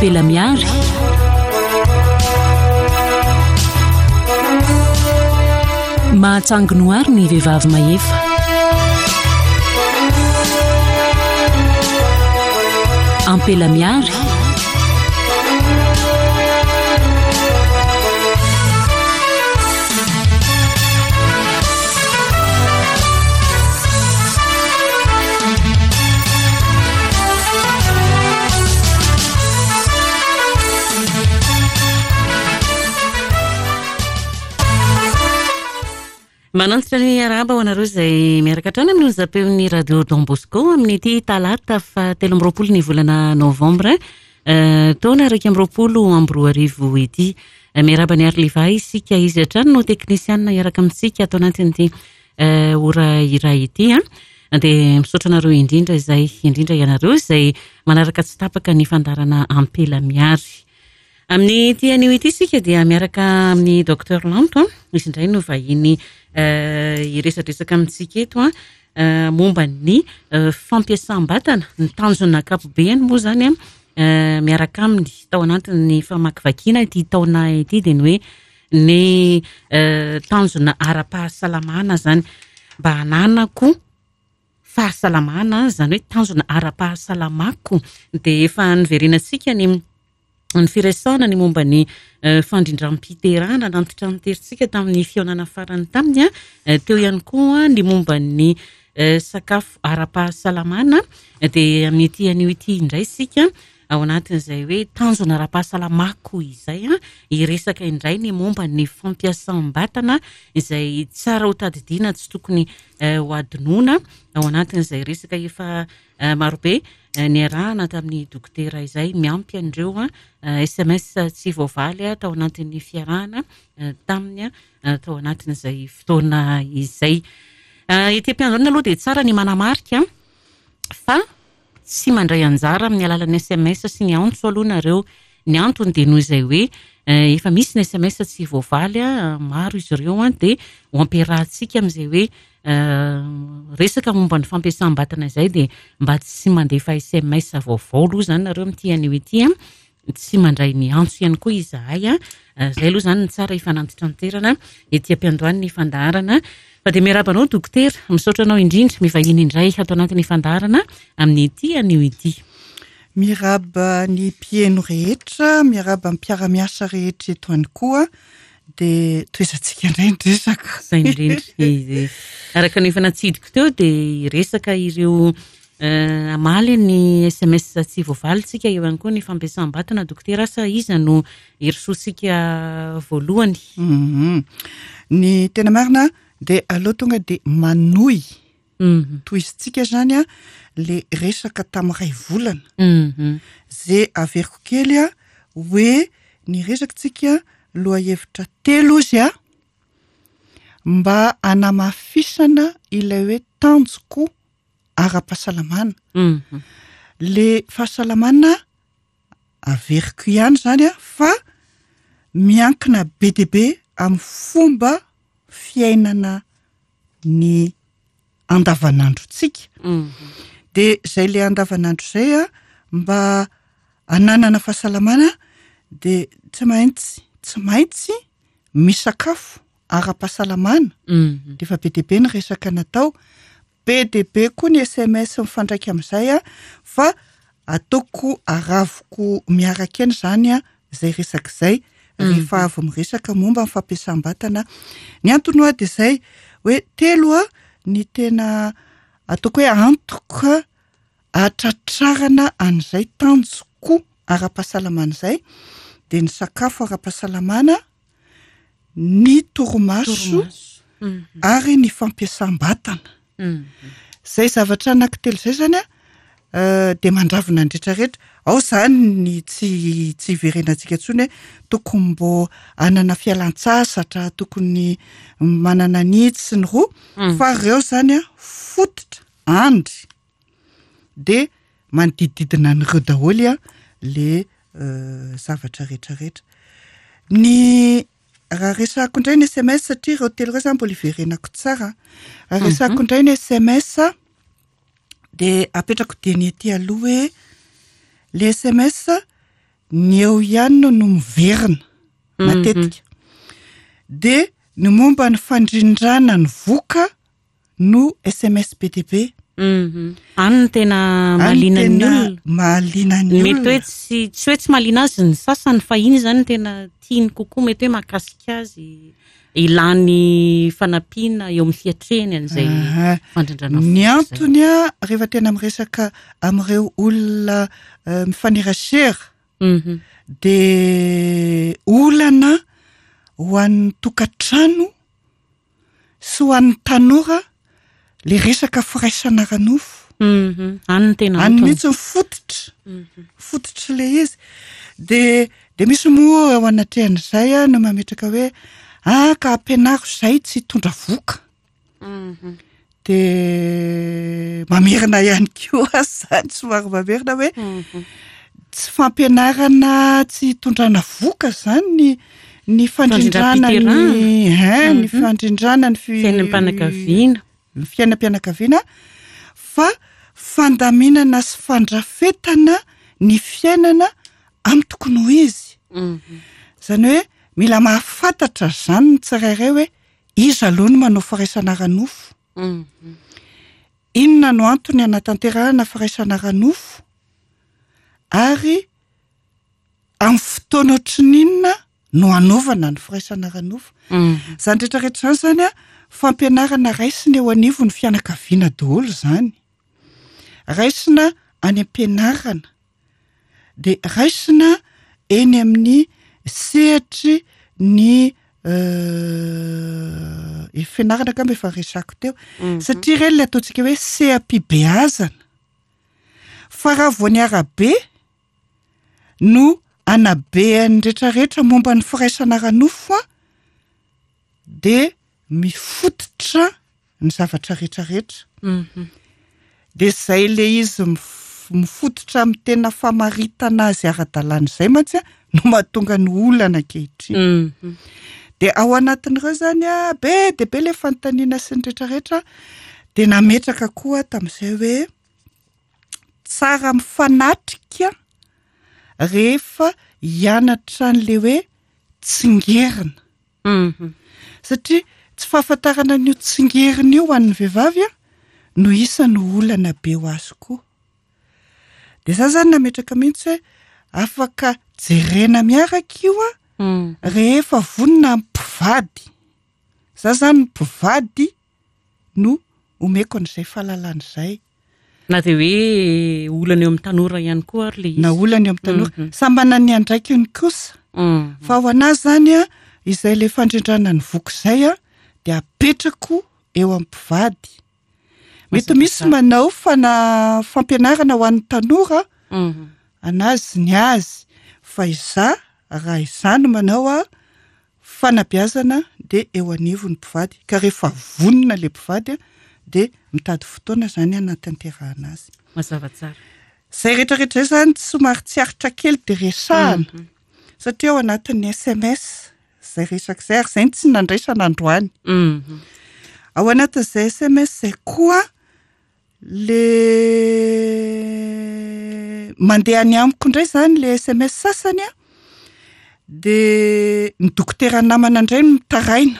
Ampela Miary. Mahatsangy noary ny vehivavy mahefa. Ampela Miary. Manantitra ny arahaba ho anareo izay miaraka hatrany amin'ny onjam-peon'ny Radio Don Bosco amin'ity talata faha 23 ny volana novambra eh, taona 2021 ity. Eh, miarahaba ny Arliva isika izy hatrany no teknisianina hiaraka amintsika ato anatin'ity eh, ora iray ity. Dia misaotra anareo indrindra izay indrindra ianareo izay manaraka tsy tapaka ny fandaharana Ampela Miary. Amin'ity anio ity isika dia miaraka amin'ny Docteur Lanto, izy indray no vahiny hiresadresaka amintsika eto momba ny fampiasam-batana, ny tanjona ankapobeny moa izany miaraka aminy tao anatin'ny famakivakiana ity taona ity dia ny hoe ny tanjona ara-pahasalamana izany mba hananako fahasalamana, izany hoe tanjona ara-pahasalamako dia efa niverenantsika ny ny firesahana ny momba ny fandrindram-piterahana nantitranteritsika tamin'ny fihaonana farany taminy, teo ihany koa ny momba ny sakafo ara-pahasalamana dia amin'ity anio ity indray isika ao anatin'izay hoe tanjona ara-pahasalamako izay hiresaka indray ny momba ny fampiasam-batana izay tsara ho tadidiana tsy tokony ho adinoana ao anatin'izay resaka efa Marobe niarahana tamin'ny dokotera izay miampy an'ireo sms tsy voavaly tao anatin'ny fiarahana taminy tao anatin'izay fotoana izay. Ety am-piandohana aloha dia tsara ny manamarika fa tsy mandray anjara amin'ny alalan'ny sms sy ny antso aloha nareo. Ny antony dia noho izay hoe efa misy ny sms tsy voavaly, maro izy ireo dia ho ampiarahantsika amin'izay hoe Resaka momba ny fampiasam-batana izay dia mba tsy mandefa sms vaovao aloha izany nareo amin'ity anio ity an. Tsy mandray ny antso ihany koa izahay an. Izay aloha izany ny tsara hifanantitranterana ety am-piandohan'ny fandaharana. Fa dia miarahaba anao dokotera, misaotra anao indrindra mivahiny indray ato anatin'ny fandaharana amin'ity anio ity. Miarahaba ny mpihaino rehetra, miarahaba ny mpiara-miasa rehetra eto ihany koa. Dia tohizantsika indray ny resaka. Izay indrindra. Araka ny efa natsidiko teo dia hiresaka ireo hamaly ny sms tsy voavalintsika eo ihany koa ny fampiasam-batana dokotera asa iza no hirosoantsika voalohany? Ny tena marina dia aleo tonga dia manohy. Tohizintsika izany le resaka tamin'ny iray volana. Ze averiko kely hoe ny resakitsika lohahevitra telo ozy a, mba hanamafisana ilay hoe tanjoko ara-pahasalamana. Le fahasalamana averiko ihany izany a, fa miankina be dia be amin'ny fomba fiainana ny andavanandrontsika. Dia izay le andavanandro izay a, mba hananana fahasalamana dia tsy maintsy tsy maintsy misakafo ara-pahasalamana. Dia efa be dia be ny resaka natao, be dia be koa ny sms mifandraika amin'izay a, fa ataoko aravoko miaraka eny izany a izay resaka izay rehefa avy miresaka momba ny fampiasam-batana. Ny antony hoa dia izay hoe telo a ny tena ataoko hoe antoka ahatratrarana an'izay tanjoko ara-pahasalamana izay dia ny sakafo ara-pahasalamana, ny torimaso ary ny fampiasam-batana. Izay zavatra anankitelo izay izany an, dia mandravona ny rehetra rehetra. Ao izany ny tsy tsy hiverenantsika intsony hoe tokony mbô hanana fialan-tsasatra, tokony manana ny itsy sy ny roa, fa ireo izany an fototra, andry, dia manodidididina an'ireo daholo an le zavatra rehetra rehetra. Ny raha resahako indray ny sms satria ireo telo ireo zany mbola hiverenako tsara an. Raha resahako indray ny sms dia apetrako dieny ety aloha hoe le sms. ny eo ihany no miverina matetika. Dia ny momba ny fandrindrana ny voka no sms be dia be. Any no tena mahaliana ny olona. Mahaliana ny olona. Mety hoe tsy tsy hoe tsy mahaliana azy ny sasany fa iny izany no tena tiany kokoa, mety hoe mahakasika azy, ilany fanampiana eo amin'ny fiatrehany an'izay fandrindrana voka izay. Ny antony rehefa tena miresaka amin'ireo olona mifanerasera dia olana ho an'ny tokantrano sy ho an'ny tanora le resaka firaisana ara-nofo. Any no tena antony. Any mihitsy ny fototra. Fototry le izy. De de misy moa eo anatrehan'izay a no mametraka hoe ah ka ampianaro izay tsy hitondra voka. De mamerina ihany koa aza zany, somary mamerina hoe tsy fampianarana tsy hitondrana voka zany ny ny fandrindrana ny hein ny fandrindrana ny fiainam-pianakaviana ny fiainam-pianakaviana fa fandaminana sy fandrafetana ny fiainana amin'ny tokony ho izy. Izany hoe mila mahafantatra izany ny tsirairay hoe iza aloha no manao firaisana ara-nofo, inona no antony hanatanterahana firaisana ara-nofo ary amin'ny fotoana ohatran'ny inona no hanaovana ny firaisana ara-nofo. Izany rehetra rehetra izany izany an, fampianarana raisina eo anivon'ny fianakaviana daholo izany. Raisina any am-pianarana, dia raisina eny amin'ny sehatry ny fianarana angamba efa resako teo, satria ireny ilay ataontsika hoe seha-pibeazana. Fa raha vao ny arabe no anabean'ny rehetrarehetra momba ny firaisana ara-nofo an, dia mifototra ny zavatra rehetrarehetra. Dia izay ilay izy mifototra amin'ny tena famaritana azy ara-dalàna izay mantsy no mahatonga ny olana ankehitriny. Dia ao anatin'ireo izany an, be dia be ilay fanontaniana sy ny rehetrarehetra, dia nametraka koa aho tamin'izay hoe tsara mifanatrika rehefa hianatra an'ilay hoe tsingerina. Satria tsy fahafantarana an'io tsingerina io ho an'ny vehivavy no isan'ny olana be ho azy koa. Dia za zany nametraka mihitsy hoe afaka jerena miaraka io an, rehefa vonona ny mpivady. Za zany ny mpivady no omeko an'izay fahalalana izay. Na dia hoe olana eo amin'ny tanora ihany koa ary ilay izy. Na olana eo amin'ny tanora. Samy manana ny andraikiny kosa. Fa ho an'ahy izany an, izay ilay fandrindrana ny voky izay an, dia apetrako eo amin'ny mpivady. Mety misy manao fana- fampianarana ho an'ny tanora, an'azy ny azy. Fa izaho, raha izaho no manao an, Fanabeazana dia eo anivon'ny mpivady ka rehefa vonona ilay mpivady dia mitady fotoana izany hanatanterahana azy. Mazava tsara. Izay rehetra rehetra izay izany somary tsy aritra kely dia resahana satria ao anatin'ny sms izay resaka izay ary izay no tsy nandraisana androany. Ao anatin'izay sms izay koa Le mandeha any amiko indray izany le sms sasany an, de ny dokotera namana indray no mitaraina.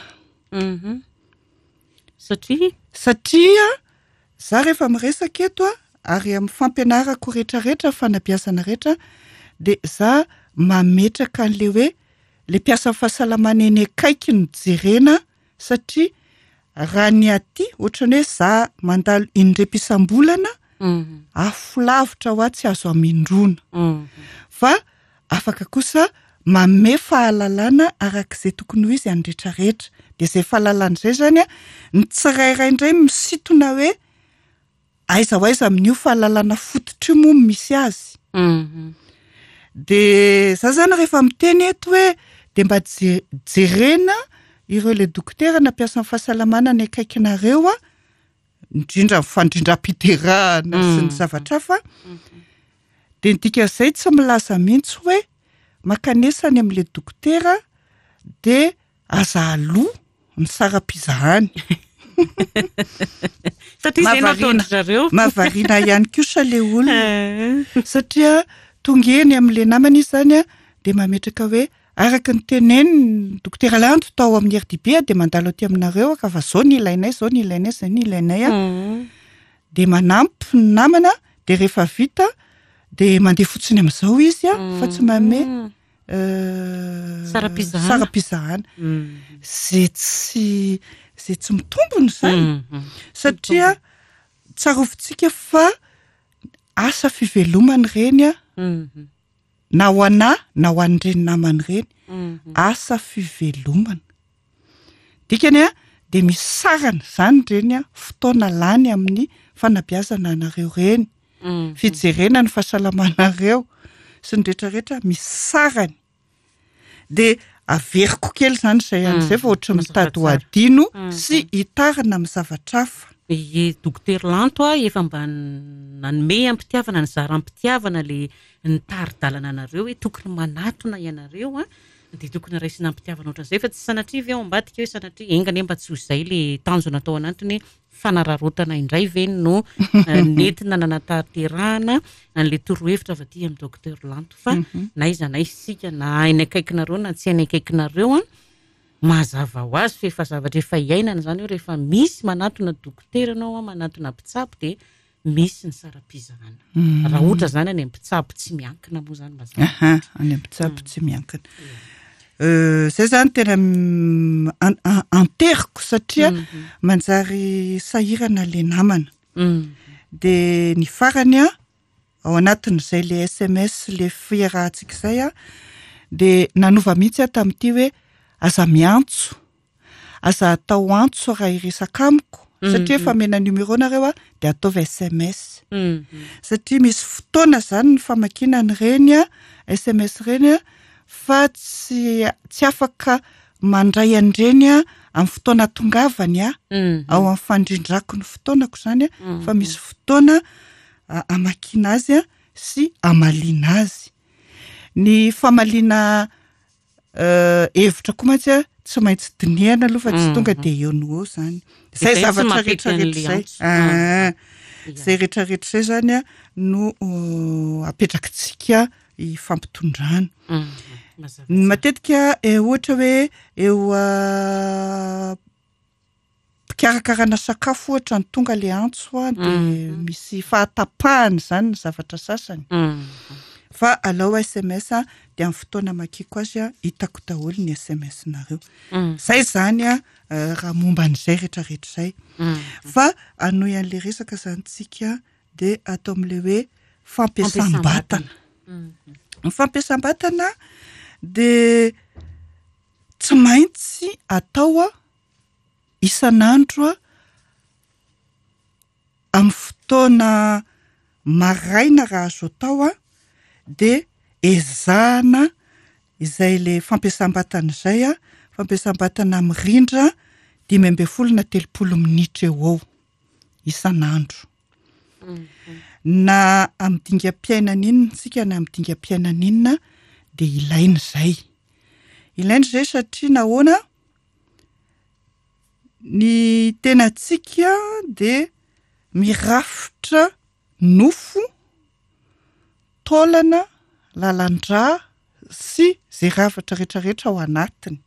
Satria? Satria za rehefa miresaka eto an, ary amin'ny fampianarako rehetrarehetra, fanabeazana rehetra, de za mametraka an'le hoe le mpiasan'ny fahasalamana eny akaiky no jerena satria raha ny aty ohatran'ny hoe za mandalo indrep isam-bolana afo lavitra ho ahy tsy azo amindroana fa afaka kosa manome fahalalana arak'izay tokony ho izy any rehetrarehetra de zay fahalalana izay zany a ny tsirairay indray misintona hoe Aiza ho aiza amin'io fahalalana fototra io moa no misy azy? De za zany rehefa miteny eto hoe de mba jerena ireo le dokotera na mpiasan'ny fahasalamana any akaikinareo a, indrindra ny fandrindram-piterahana sy ny zavatra hafa, de ny dikan'izay tsy milaza mihitsy hoe mankanesa any amin'le dokotera de Aza aloa ny saram-pizahany. Satria izay no ataon-dry zareo. Mahavariana ihany kosa ilay olona. Satria tonga eny amin'ilay namana izy izany dia mametraka hoe araka ny tenenin'ny Dokotera Lanto tao amin'ny RDB dia mandalo aty aminareo aho ka fa izao ny ilainay, izao ny ilainay, izay ny ilainay an. Dia manampy ny namana dia rehefa vita dia mandeha fotsiny amin'izao izy an, fa tsy manome Saram-pizahana. Saram-pizahana. Izay tsy izay tsy mitombina izany. Satria tsarovintsika fa asa fivelomana ireny an, na ho anà na ho an'ireny namana ireny, asa fivelomana. Dikany an, dia misy sarany izany ireny an, fotoana lany amin'ny fanabeazana anareo ireny, fijerena ny fahasalamanareo sy ny rehetra rehetra, misy sarany. Dia averiko kely izany izay any izay fa ohatran'ny mitady ho adino sy hitarina amin'ny zavatra hafa. Ie, Dokotera Lanto a, efa mba nanome am-pitiavana, nizara am-pitiavana ilay nitari-dalana anareo hoe tokony manatona ianareo an, dia tokony raisina am-pitiavana ohatran'izay fa tsy sanatria ve ao ambadika hoe sanatria enga anie mba tsy ho izay ilay tanjona tao anatiny hoe fanararaotana indray ve no nentina nanatanterahana an'ilay torohevitra avy aty amin'ny Docteur Lanto fa na aiza na aiza isika na any akaikinareo na tsy any akaikinareo an, mazava ho azy fa efa zavatra efa iainana izany hoe rehefa misy manatona dokotera ianao an, manatona mpitsabo dia misy ny saram-pizahana. Raha ohatra izany any amin'ny mpitsabo tsy miankina moa izany mazava. Aha, any amin'ny mpitsabo tsy miankina. Izay izany tena anteriko satria manjary sahirana ilay namana. Dia ny farany an, ao anatin'izay ilay SMS ilay fiarahantsika izay an, dia nanova mihitsy aho tamin'ity hoe aza miantso. Aza atao antso raha hiresaka amiko satria efa omena numéro nareo aho dia ataovy sms. Satria misy fotoana izany ny famakiana an'ireny sms ireny fa tsy tsy afaka mandray an'ireny amin'ny fotoana atongavany aho, ao amin'ny fandrindrako ny fotoanako izany fa misy fotoana amakiana azy sy amaliana azy. Ny famaliana Hevitra koa mantsy a, tsy maintsy dinihana aloha fa tsy tonga dia eo no eo izany. Izay zavatra rehetra rehetra izay. Ah, izay rehetra rehetra izay izany a no apetrakitsika hifampitondrana. Matetika ohatra hoe eo Mpikarakarana sakafo ohatra no tonga le antso a de misy fahatapahana izany ny zavatra sasany. Fa alao sms a de amin'ny fotoana amakiako azy a hitako daholo ny sms-nareo. Zay izany a raha momba an'izay rehetrarehetra izay. Fa hanohy an'le resaka izany tsika de atao amin'le hoe fampiasam-batana. Ny fampiasam-batana de tsy maintsy atao a isan'andro amin'ny fotoana maraina raha azo atao dia ezahana izay ilay fampiasam-batana izay, fampiasam-batana mirindra 15 na 30 minitra eo ho eo isan'andro. Na amin'ny dingam-piainana inona isika na amin'ny dingam-piainana inona dia ilaina izay. Ilaina izay satria nahoana? Ny tenantsika dia mirafitra nofo, taolana, lalan-drà sy izay ravatra rehetrarehetra ao anatiny.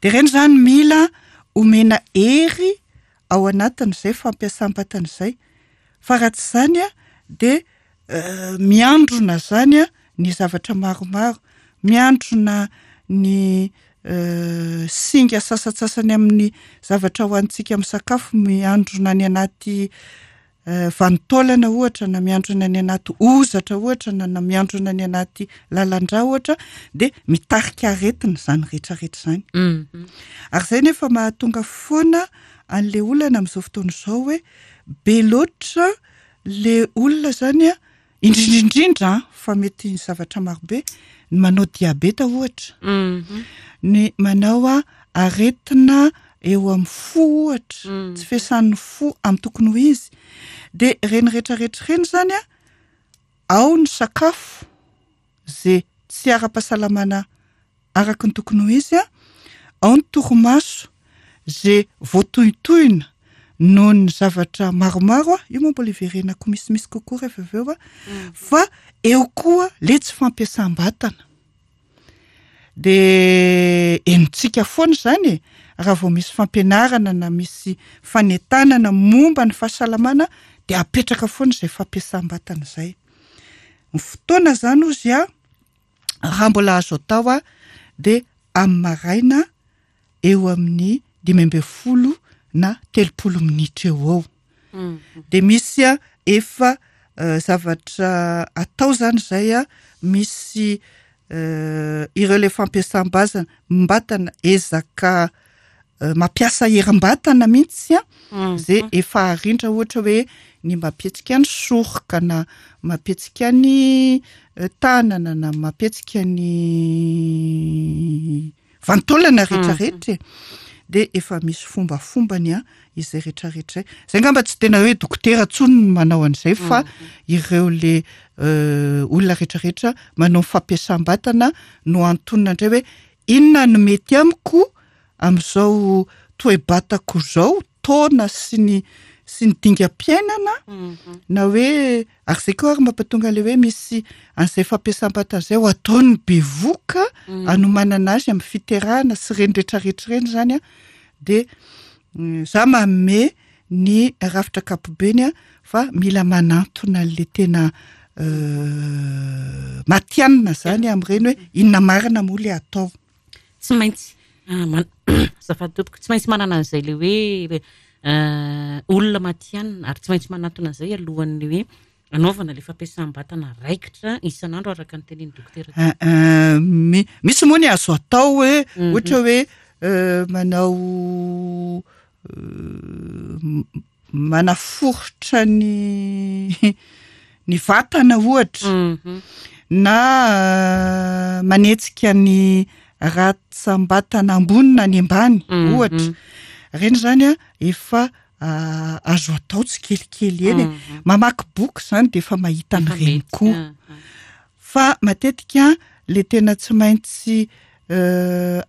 Dia ireny izany mila omena hery ao anatin'izay fampiasam-batana izay. Fa raha tsy izany dia miandrona izany ny zavatra maromaro, miandrona ny singa sasantsasany amin'ny zavatra hohanintsika amin'ny sakafo, miandrona any anaty vanin-taolana ohatra na miandrona any anaty hozatra ohatra na na miandrona any anaty lalan-drà ohatra dia mitarika aretina izany rehetrarehetra izany. Ary izay nefa mahatonga foana an'ilay olana amin'izao fotoana izao hoe be loatra le olona izany an, indrindra indrindra an, fa mety zavatra marobe, ny manao diabeta ohatra, ny manao aretina eo amin'ny fo ohatra, tsy fiasan'ny fo amin'ny tokony ho izy, dia ireny rehetrarehetra ireny izany an, ao ny sakafo izay tsy ara-pahasalamana araka ny tokony ho izy, ao ny torimaso izay voatohintohina. noho ny zavatra maromaro, io moa mbola hiverenako misimisy kokoa rehefa avy eo, fa eo koa le tsy fampiasam-batana. De henontsika foana izany e, raha vao misy fampianarana na misy fanentanana momba ny fahasalamana dia apetraka foana izay fampiasam-batana izay. Ny fotoana izany hozy a, raha mbola azo atao a, dia amin'ny maraina eo amin'ny 15 na 30 minitra eo ho eo. Dia misy efa zavatra atao izany izay a, misy ireo ilay fampiasam-bazana, mbatana, ezaka mampiasa herim-batana mihitsy a, izay efa arindra ohatra hoe ny mampihetsika ny soroka na mampihetsika ny tanana na mampihetsika ny vanin-taolana rehetrarehetra e. Dia efa misy fombafombany a izay rehetrarehetra izay. Izay angamba tsy tena hoe dokotera intsony no manao an'izay fa ireo le olona rehetrarehetra manao ny fampiasam-batana no antonona indray hoe inona no mety amiko amin'izao toe-batako izao, taona sy ny sy ny dingam-piainana, na hoe ary izay koa ary mampatonga ilay hoe misy an'izay fampiasam-batana izay ho ataon'ny bevohoka hanomanana azy amin'ny fiterahana sy ireny rehetrarehetra ireny izany an, dia za manome ny rafitra ankapobeny an, fa mila manantona an'ilay tena matihanina izany amin'ireny hoe inona marina moa ilay atao. Tsy maintsy azafady tompoko, tsy maintsy manana an'izay ilay hoe olona matihanina ary tsy maintsy manatona an'izay alohan'ny hoe anaovana ilay fampiasam-batana raikitra isan'andro araka ny tenin'ny dokotera teo. Misy moa ny azo atao hoe ohatra hoe manao manaforitra ny ny vatana ohatra na manetsika ny ratsam-batana ambony na ny ambany ohatra, ireny izany an efa azo atao tsikelikely eny e, mamaky boky izany dia efa mahita an'ireny koa, fa matetika le tena tsy maintsy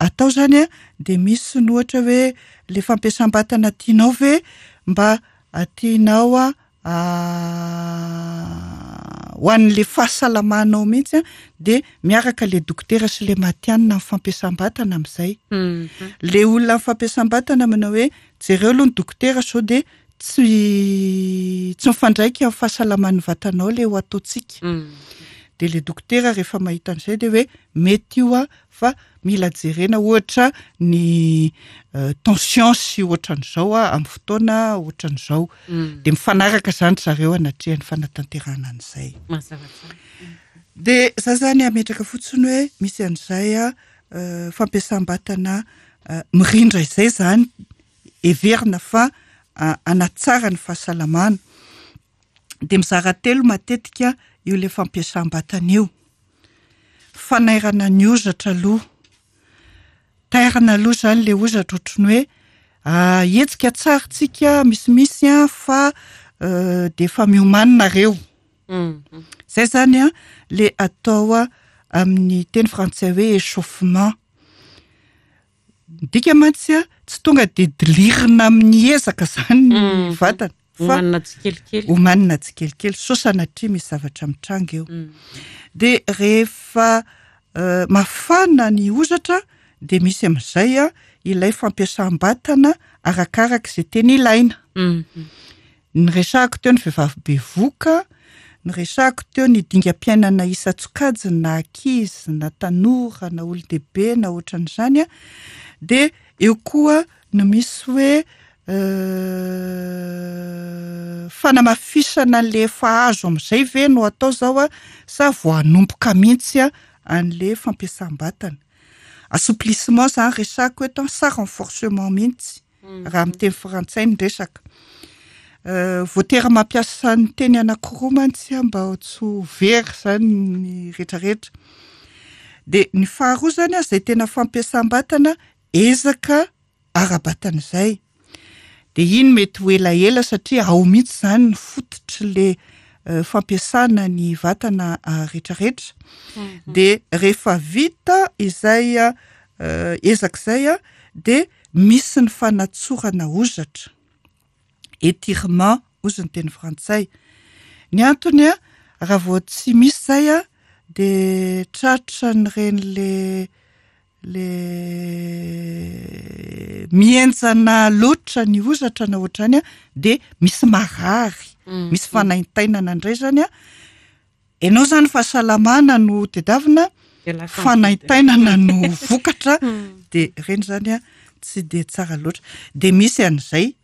atao izany an dia misy ny ohatra hoe le fampiasam-batana tianao ve mba tianao ho an'le fahasalamanao mihitsy an dia miaraka le dokotera sy le matihanina amin'ny fampiasam-batana amin'izay. Le olona amin'ny fampiasam-batana manao hoe jereo aloha ny dokotera sao dia tsy tsy mifandraika amin'ny fahasalaman'ny vatanao le ho ataontsika. Dia le dokotera rehefa mahita an'izay dia hoe mety io an fa mila jerena ohatra ny tension sy ohatran'izao amin'ny fotoana ohatran'izao. Dia mifanaraka izany ry zareo anatrehan'ny fanatanterahana an'izay. Mazava tsara. Dia za zany hametraka fotsiny hoe misy an'izay fampiasam-batana mirindra izay izany heverina fa hanatsara ny fahasalamana. Dia mizara telo matetika io ilay fampiasam-batana io. Fanairana ny hozatra aloha. Tairina aloha izany ilay hozatra ohatry ny hoe hetsika tsara tsika misimisy an fa dia efa miomany nareo. Izay izany an ilay atao amin'ny teny frantsay hoe échauffement. Midika mantsy an, tsy tonga dia dilirina amin'ny ezaka izany ny vatana. Fa Omanina tsikelikely. Omanina tsikelikely, sao sanatria misy zavatra mitranga eo. Dia rehefa mafana ny hozatra dia misy amin'izay an, ilay fampiasam-batana arakaraka izay tena ilaina. Niresahako teo ny vehivavy bevoka, niresahako teo ny dingam-piainana isan-tsokajiny na ankizy na tanora na olon-dehibe na ohatran'izany an, dia eo koa no misy hoe fanamafisana an'le efa azo amin'izay ve no atao zao an sa vao hanomboka mihitsy an'le fampiasam-batana. Assouplissement zany resahako eto an sa renforcement mihitsy. raha amin'ny teny frantsay ny resaka. Voatery mampiasa ny teny anankiroa mantsy aho mba tsy ho very izany ny rehetrarehetra. Dia ny faharoa izany an, izay tena fampiasam-batana ezaka ara-batana izay. Dia iny mety ho elaela satria ao mihitsy izany ny fototr'ilay fampiasana ny vatana rehetrarehetra. Dia rehefa vita izay ezaka izay dia misy ny fanatsorana hozatra. étirement hozy ny teny frantsay. Ny antony a, raha vao tsy misy izay a, dia tratran'ireny le le mihenjana loatra ny hozatra na ohatrany a, dia misy marary, misy fanaintainana indray izany a. Ianao izany fahasalamana no tedavina, fanaintainana no vokatra, dia ireny izany a tsy dia tsara loatra. Dia misy an'izay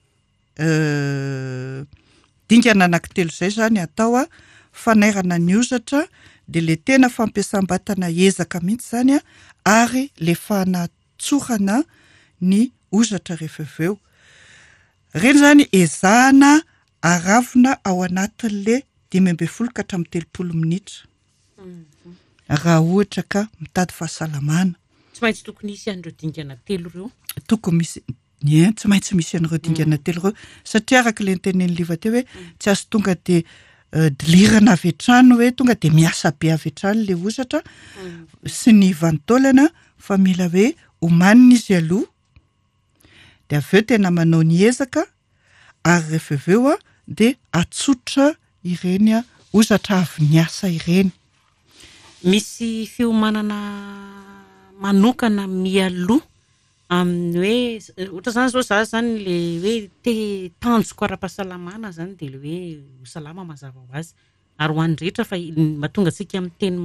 dingana anankitelo izay izany atao a, fanairana ny hozatra, dia ilay tena fampiasam-batana ezaka mihitsy izany a, ary ilay fanatsorana ny hozatra rehefa avy eo. Ireny izany ezahana aravona ao anatin'ilay 15 ka hatramin'ny 30 minitra raha ohatra ka mitady fahasalamana. Tsy maintsy tokony hisy an'ireo dingana telo ireo. Tokony misy, ie, tsy maintsy misy an'ireo dingana telo ireo satria araka ilay notenenin'i Liva teo hoe tsy azo tonga dia dilirana avy hatrany hoe tonga dia miasa be avy hatrany ilay hozatra sy ny vanin-taolana fa mila hoe omanina izy aloha dia avy eo tena manao ny ezaka ary rehefa avy eo dia atsotra ireny hozatra avy niasa ireny. Misy fiomanana manokana mialoha amin'ny hoe ohatra izany izao za izany ilay hoe te tanjoko ara-pahasalamana izany dia ilay hoe ho salama mazava ho azy. Ary ho an'ny rehetra fa ny mahatonga antsika miteny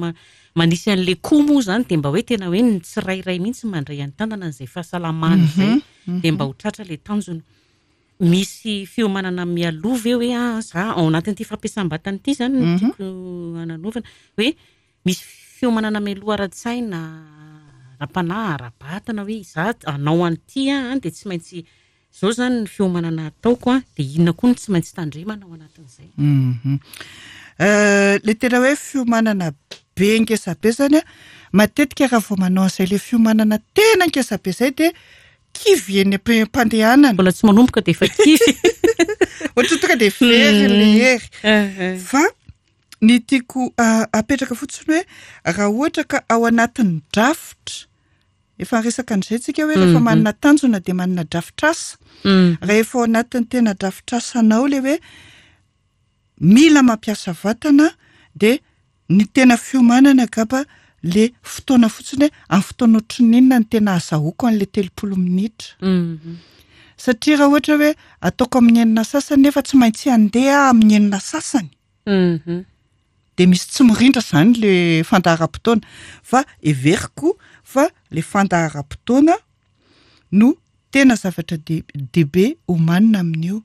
manisy an'ilay koa moa izany dia mba hoe tena hoe ny tsirairay mihitsy mandray an-tanana an'izay fahasalamana izay dia mba ho tratra ilay tanjona. Misy fiomanana mialoha ve hoe ah za ao anatin'ity fampiasam-batana ity izany no tiako hananaovana hoe misy fiomanana mialoha ara-tsaina, ara-panahy, ara-batana hoe za hanao an'ity aho dia tsy maintsy Izao izany ny fiomanana ataoko an, dia inona koa no tsy maintsy tandremana ao anatin'izay? Ilay tena hoe fiomanana be ngeza be izany an, matetika raha vao manao an'izay ilay fiomanana tena ngeza be izay dia kivy eny am-pandehanana. Mbola tsy manomboka dia efa kivy. Ohatran'ny tonga dia very ilay hery. Fa ny tiako apetraka fotsiny hoe raha ohatra ka ao anatin'ny drafitra Efa niresaka an'izay tsika hoe rehefa manana tanjona dia manana drafitrasa. Rehefa ao anatin'ny tena drafitrasanao ilay hoe mila mampiasa vatana dia ny tena fiomanana angamba le fotoana fotsiny hoe amin'ny fotoana ohatran'ny inona no tena azahoako an'ilay 30 minitra. Satria raha ohatra hoe ataoko amin'ny enina sasany nefa tsy maintsy handeha aho amin'ny enina sasany. Dia misy tsy mirindra izany le fandaharam-potoana fa heveriko fa le fandaharam-potoana no tena zavatra dehibe omanina amin'io.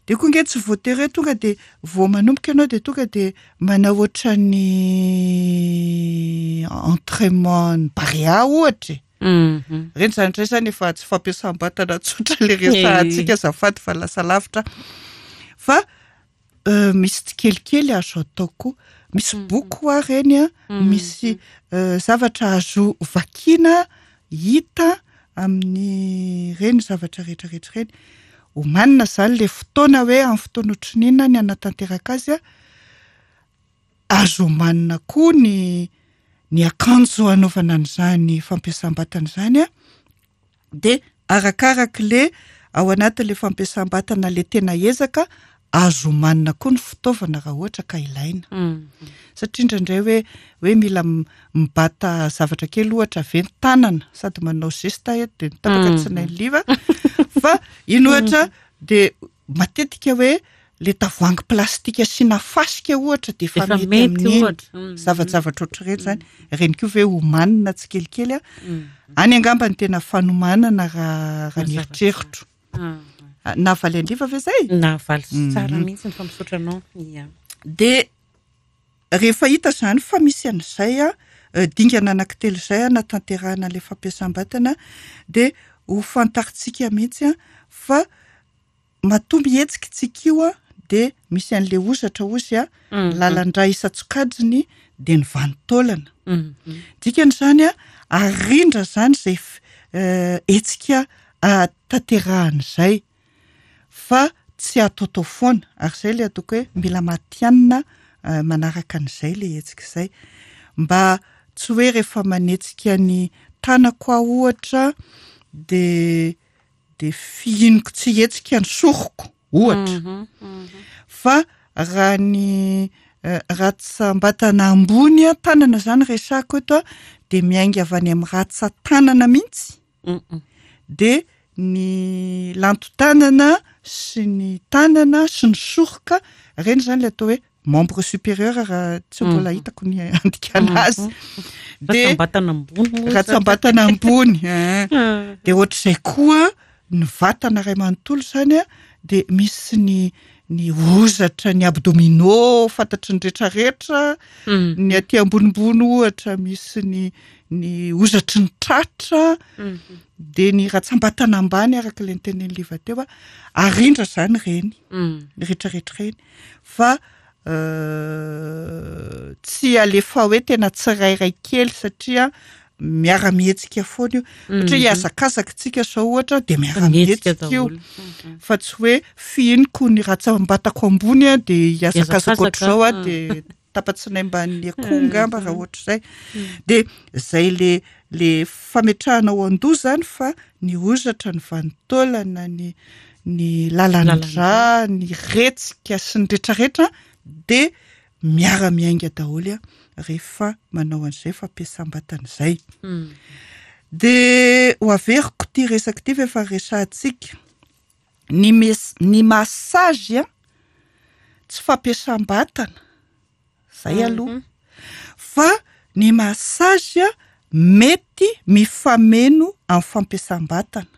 Dia koa ange tsy voatery hoe tonga dia vao manomboka ianao dia tonga dia manao ohatran'ny entraînement ny Barea ohatra e. Ireny izany indray izany efa tsy fampiasam-batana tsotra ilay resahantsika azafady fa lasa lavitra fa Misy tsikelikely azo atao koa. Misy boky hoa ireny an, misy zavatra azo vakiana, hita amin'ireny zavatra rehetra rehetra ireny. Omanina izany ilay fotoana hoe amin'ny fotoana ohatran'ny inona ny hanatanteraka azy an, azo omanina koa ny ny akanjo hanaovana an'izany fampiasam-batana izany an. dia arakarak'le ao anatin'le fampiasam-batana le tena ezaka, azo omanina koa ny fitaovana raha ohatra ka ilaina. Satria indraindray hoe hoe mila mibata zavatra kely ohatra ve ny tanana sady manao geste eto dia mitapaka tsy nainy liva fa iny ohatra dia matetika hoe le tavoahangy plastika asiana fasika ohatra dia efa Efa mety mety amin'iny. ohatra. Zavajavatra ohatr'ireny izany. Ireny koa ve omanina tsikelikely a? Any angamba ny tena fanomanana raha raha ny Mazava eritreritro. tsara. Ah, Nahavaly an-dRiva ve izay? Nahavaly tsara mihitsy fa misaotra anao. Ia. Dia rehefa hita izany fa misy an'izay a, dingana anankitelo izay hanatanterahana ilay fampiasam-batana dia ho fantarintsika mihitsy a fa Matoa mihetsika tsika io dia misy an'ilay hozatra hozy a, lalan-drà isan-tsokajiny dia ny vanin-taolana. Dikany izany a, arindra izany izay hetsika tanterahana izay fa tsy ataotao foana ary izay ilay ataoko hoe mila matihanina manaraka an'izay ilay hetsika izay. Mba tsy hoe rehefa manetsika ny tanako aho ohatra dia Dia fihiniko tsy hihetsika ny soroko. ohatra. Fa raha ny ratsambatana ambony, tanana izany resahako eto, dia miainga avy any amin'ny ratsan-tanana mihitsy, dia ny lanton-tanana sy ny tanana sy ny soroka, ireny izany ilay atao hoe membre supérieur raha tsy mbola hitako ny andikana azy. Dia ratsambatana ambony moa. Ratsambatana ambony. Dia ohatr'izay koa ny vatana iray manontolo izany dia misy ny ny hozatra, ny abdominaux fantatry ny rehetrarehetra, ny aty ambonimbony ohatra misy ny ny hozatry ny tratra, dia ny ratsambatana ambany araka ilay notenenin'i Liva teo, arindra izany ireny rehetrarehetra ireny fa tsy alefa hoe tena tsirairay kely satria miara-mihetsika foana io. Ohatra hoe hihazakazaka isika izao ohatra dia miara-mihetsika io. Fa tsy hoe fihiniko ny ratsambatako ambony a dia hihazakazaka ohatr'izao aho dia tapa-tsinay mban'ny akoho angamba raha ohatr'izay. Dia izay le le fametrahana ao an-doha izany fa ny hozatra, ny vanin-taolana, ny ny lalan-drà, ny retsika sy ny retraretra dia miara-miainga daholo rehefa manao an'izay fampiasam-batana izay. Dia ho averiko ity resaka ity fa efa resahantsika. Ny mes- ny massage tsy fampiasam-batana, zay aloha. Fa ny massage mety mifameno amin'ny fampiasam-batana.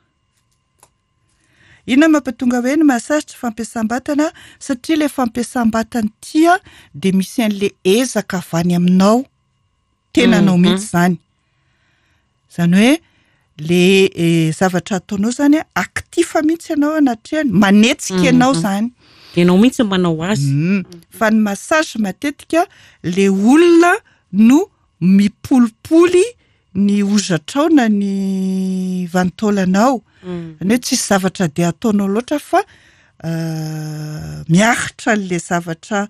Inona no mampatonga hoe ny massage tsy fampiasam-batana? Satria ilay fampiasam-batana ity dia misy an'ilay ezaka avy any aminao, tenanao mihitsy izany. Izany hoe le zavatra ataonao izany actif mihitsy ianao anatrehany, manetsika ianao izany. Ianao mihitsy no manao azy. Fa ny massage matetika le olona no mipolipoly ny hozatrao na ny vanin-taolanao. Izany hoe tsisy zavatra dia ataonao loatra fa miaritra an'ilay zavatra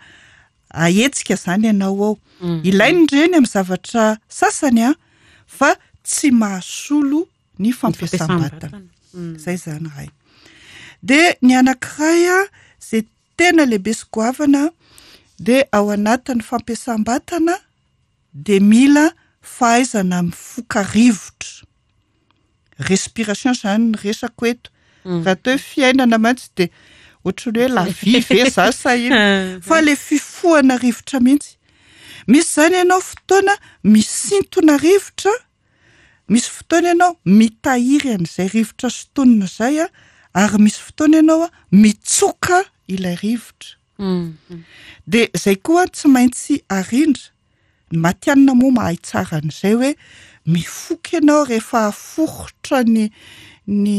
ahetsika izany ianao ao. Ilaina ireny amin'ny zavatra sasany an, fa tsy mahasolo ny fampiasam-batana. Izay izany iray. Dia ny anankiray an, izay tena lehibe sy goavana dia ao anatin'ny fampiasam-batana dia mila fahaizana mifoka rivotra. Respiration izany ny resako eto. Raha atao hoe fiainana mantsy dia ohatran'ny hoe la vie ve za sa inona? Fa ilay fifohana rivotra mihitsy. Misy izany ianao fotoana misintona rivotra, misy fotoana ianao mitahiry an'izay rivotra sintonina izay ary misy fotoana ianao mitsoka ilay rivotra. Dia izay koa tsy maintsy arindra. Ny matihanina moa mahay tsara an'izay hoe mifoka ianao rehefa aforitra ny ny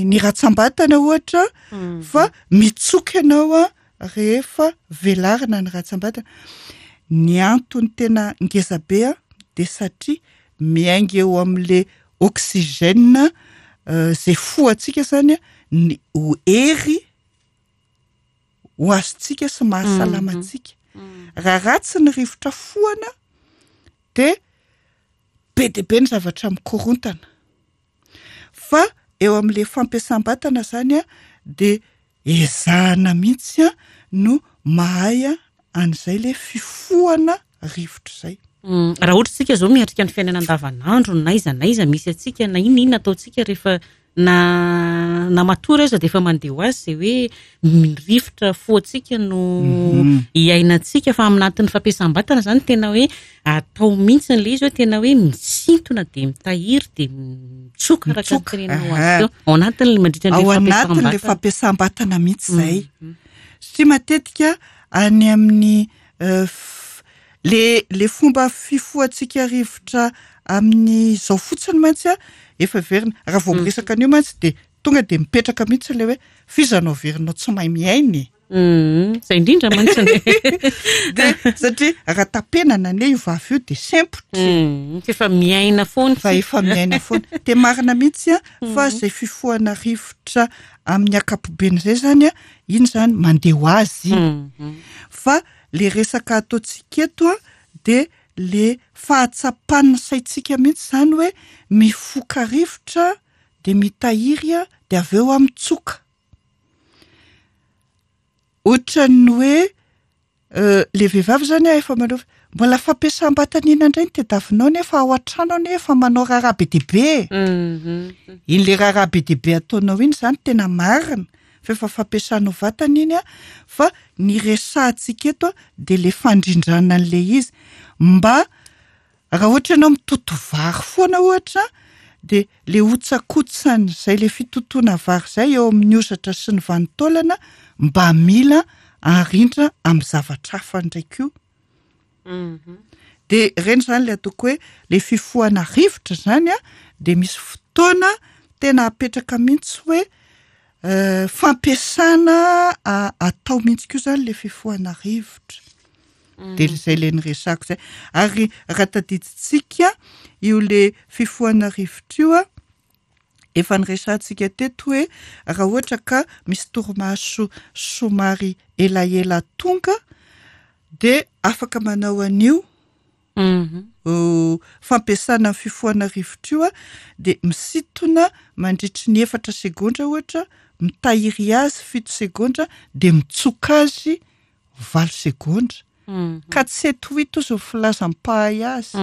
ny ratsambatana ohatra fa mitsoka ianao rehefa velarina ny ratsambatana. Ny antony tena ngeza be dia satria miainga eo amin'le oxygène izay fohantsika izany ny ho hery ho azontsika sy mahasalama antsika. Raha ratsy ny rivotra fohana dia be dia be ny zavatra mikorontana. Fa eo amin'ilay fampiasam-batana izany dia ezahana mihitsy no mahay an'izay ilay fifohana rivotra izay. Raha ohatra isika izao miatrika ny fiainana andavanandro n'aiza n'aiza misy antsika na inona inona ataontsika rehefa na na matory aza dia efa mandeha ho azy izay hoe ny rivotra foantsika no iainantsika fa aminatin'ny fampiasam-batana izany tena hoe atao mihitsy ilay izy hoe tena hoe misintona dia mitahiry dia mitsoka araka ny Mitsoka, teneninao azy aha. teo. Ao anatin'ilay mandritra Ao an'ilay anatin'ilay fampiasam-batana. fampiasam-batana mihitsy izay. Satria matetika any amin'ny Le le fomba fifohantsika rivotra amin'izao fotsiny mantsy a, efa heverina, raha vao miresaka an'io mantsy dia tonga dia mipetraka mihitsy ilay hoe f'iza no heverinao tsy mahay miaina e? Izay indrindra mantsy ny Dia satria raha tapenana anie io vava io dia sempotra e. Fa efa miaina foana Fa efa miaina foana. Dia marina mihitsy a, fa izay fifohana rivotra amin'ny ankapobeny izay izany a, iny izany mandeha ho azy iny. Fa Le resaka ataontsika eto an dia le fahatsapan'ny saintsika mihitsy izany hoe mifoka rivotra dia mitahiry dia avy eo aho mitsoka. Ohatran'ny hoe le vehivavy zany efa manao mbola fampiasam-batana inona indray no tadiavinao nefa ao an-trano anie efa manao raharaha be dia be e. Iny le raharaha be dia be ataonao iny zany tena marina fa efa fampiasanao vatana iny an, fa ny resahantsika eto dia le fandrindrana an'le izy mba Raha ohatra ianao mitoto vary foana ohatra dia le hotsakotsan'izay le fitotoana vary izay eo amin'ny hozatra sy ny vanin-taolana mba mila arindra amin'ny zavatra hafa indray koa. Dia ireny izany ilay ataoko hoe le fifohana rivotra izany an, dia misy fotoana tena apetraka mihitsy hoe fampiasana atao mihitsy koa izany ilay fifohana rivotra. Dia izay ilay niresahako izay. Ary raha tadidintsika io le fifohana rivotra io an, efa niresahantsika teto hoe raha ohatra ka misy torimaso somary elaela tonga dia afaka manao an'io fampiasana ny fifohana rivotra io an, dia misintona mandritry ny efatra segondra ohatra, mitahiry azy fito segondra dia mitsoka azy valo segondra ka tsy sept huit ozy ny filazan'ny mpahay azy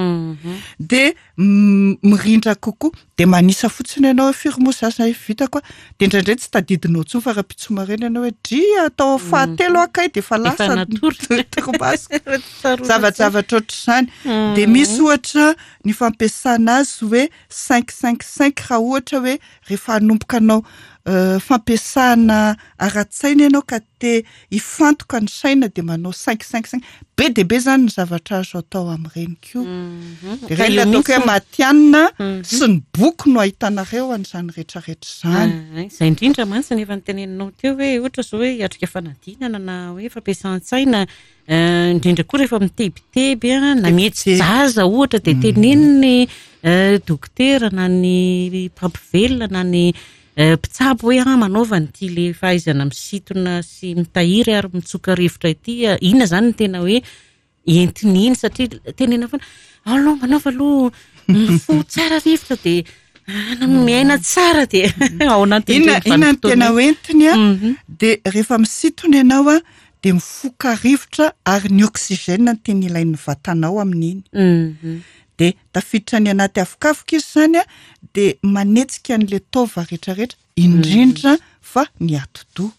dia mirindra kokoa dia manisa fotsiny ianao hoe firy moa za zay vitako a dia indraindray tsy tadidinao intsony fa rahampitso maraina ianao hoe dry atao amin'ny fahatelo aho kay dia efa lasa natory. torimaso. Zavajavatra ohatr'izany. Dia misy ohatra ny fampiasana azy hoe cinq cinq cinq raha ohatra hoe rehefa hanomboka hanao fampiasana ara-tsaina ianao ka te hifantoka ny saina dia manao cinq cinq cinq. Be dia be izany ny zavatra azo atao amin'ireny koa. Dia ireny ilay ataoko hoe matihanina sy ny boky no ahitanareo an'izany rehetrarehetra izany. Izay indrindra mantsy no efa noteneninao teo hoe ohatra izao hoe hiatrika fanadinana na hoe fampiasan-tsaina, indrindra koa rehefa mitebiteby na mihetsi-jaza ohatra dia teneniny dokotera na ny mpampivelona na ny Mpitsabo hoe ah manaova an'ity le fahaizana misintona sy mitahiry ary mitsoka rivotra ity, inona izany no tena hoe entiny iny satria tenena foana aloha manaova aloha mifoha tsara rivotra dia miaina tsara dia ao anatin'ireny Inona inona no tena vanim-potoana hoentiny a? Dia rehefa misintona ianao a, dia mifoka rivotra ary ny oxygène no tena ilain'ny vatanao amin'iny. Dia tafiditra any anaty avokavoka izy izany a, dia manetsika an'ilay taova rehetrarehetra, indrindra fa ny atidoha.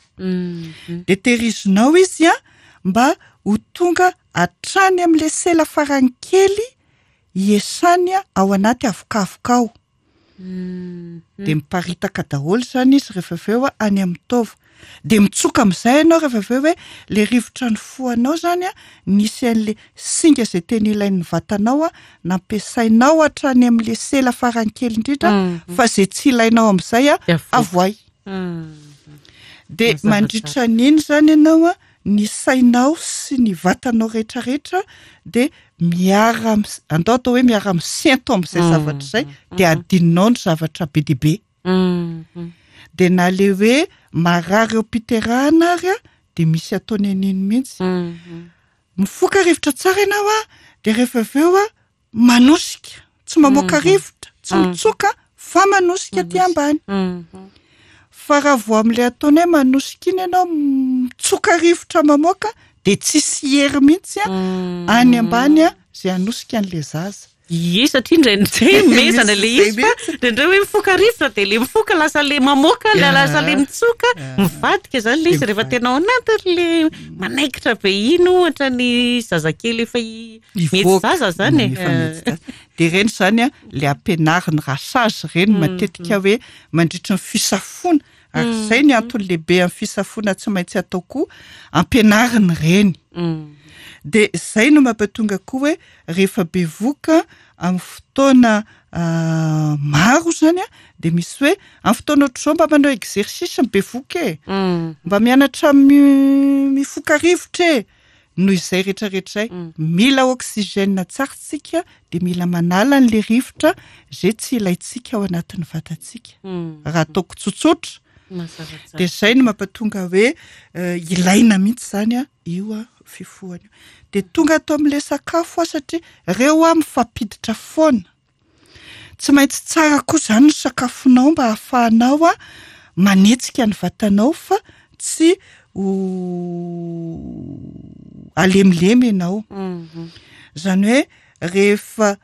Dia tehirizinao izy a, mba ho tonga hatrany amin'ilay sela farany kely hiesany ao anaty avokavoka ao. Dia miparitaka daholo izany izy rehefa avy eo any amin'ny taova. Dia mitsoka amin'izay ianao rehefa avy eo hoe ilay rivotra nifohanao izany an, nisy an'ilay singa izay tena ilain'ny vatanao an, nampiasainao hatrany amin'ilay sela farany kely indrindra, fa izay tsy ilainao amin'izay an, avoay. Dia mandritra an'iny izany ianao an, ny sainao sy ny vatanao rehetrarehetra dia miara andao atao hoe miara misento amin'izay zavatra izay dia adinonao ny zavatra be dia be. Dia na le hoe marary eo am-piterahana ary a, dia misy ataony an'iny mihitsy. Mifoka rivotra tsara ianao a, dia rehefa avy eo a, manosika, tsy mamoaka rivotra, tsy mitsoka fa manosika aty ambany. Fa raha vao amin'ilay ataony hoe manosika iny ianao mitsoka rivotra mamoaka dia tsisy hery mihitsy any ambany izay hanosika an'ilay zaza. Ie, satria indraindray mezana ilay izy fa indraindray hoe mifoka rivotra dia ilay mifoka lasa ilay mamoaka, lasa ilay mitsoka, mivadika izany ilay izy rehefa tena ao anatin'ilay manaikitra be iny ohatra ny zazakely efa Mivoaka. Mihetsi-jaza izany e. Efa mihetsi-jaza. Dia ireny izany an, ilay ampianariny rasazy ireny matetika hoe mandritry ny fisafoana, ary izay ny antony lehibe amin'ny fisafoana tsy maintsy atao koa, ampianariny ireny. Dia izay no mampatonga koa hoe rehefa bevohoka amin'ny fotoana maro izany an, dia misy hoe amin'ny fotoana ohatr'izao mba manao exercice ny bevohoka e, mba mianatra mifoka rivotra e. Noho izay rehetra rehetra izay, mila oxygène tsara tsika dia mila manala an'ilay rivotra izay tsy ilaintsika ao anatin'ny vatantsika. Raha ataoko tsotsotra, dia izay no mampatonga hoe ilaina mihitsy izany io fifohana io. Dia tonga ato amin'ilay sakafo aho satria ireo aho mifampiditra foana. Tsy maintsy tsara koa izany ny sakafonao mba hahafahanao manetsika ny vatanao fa tsy ho halemilemy ianao. Izany hoe rehefa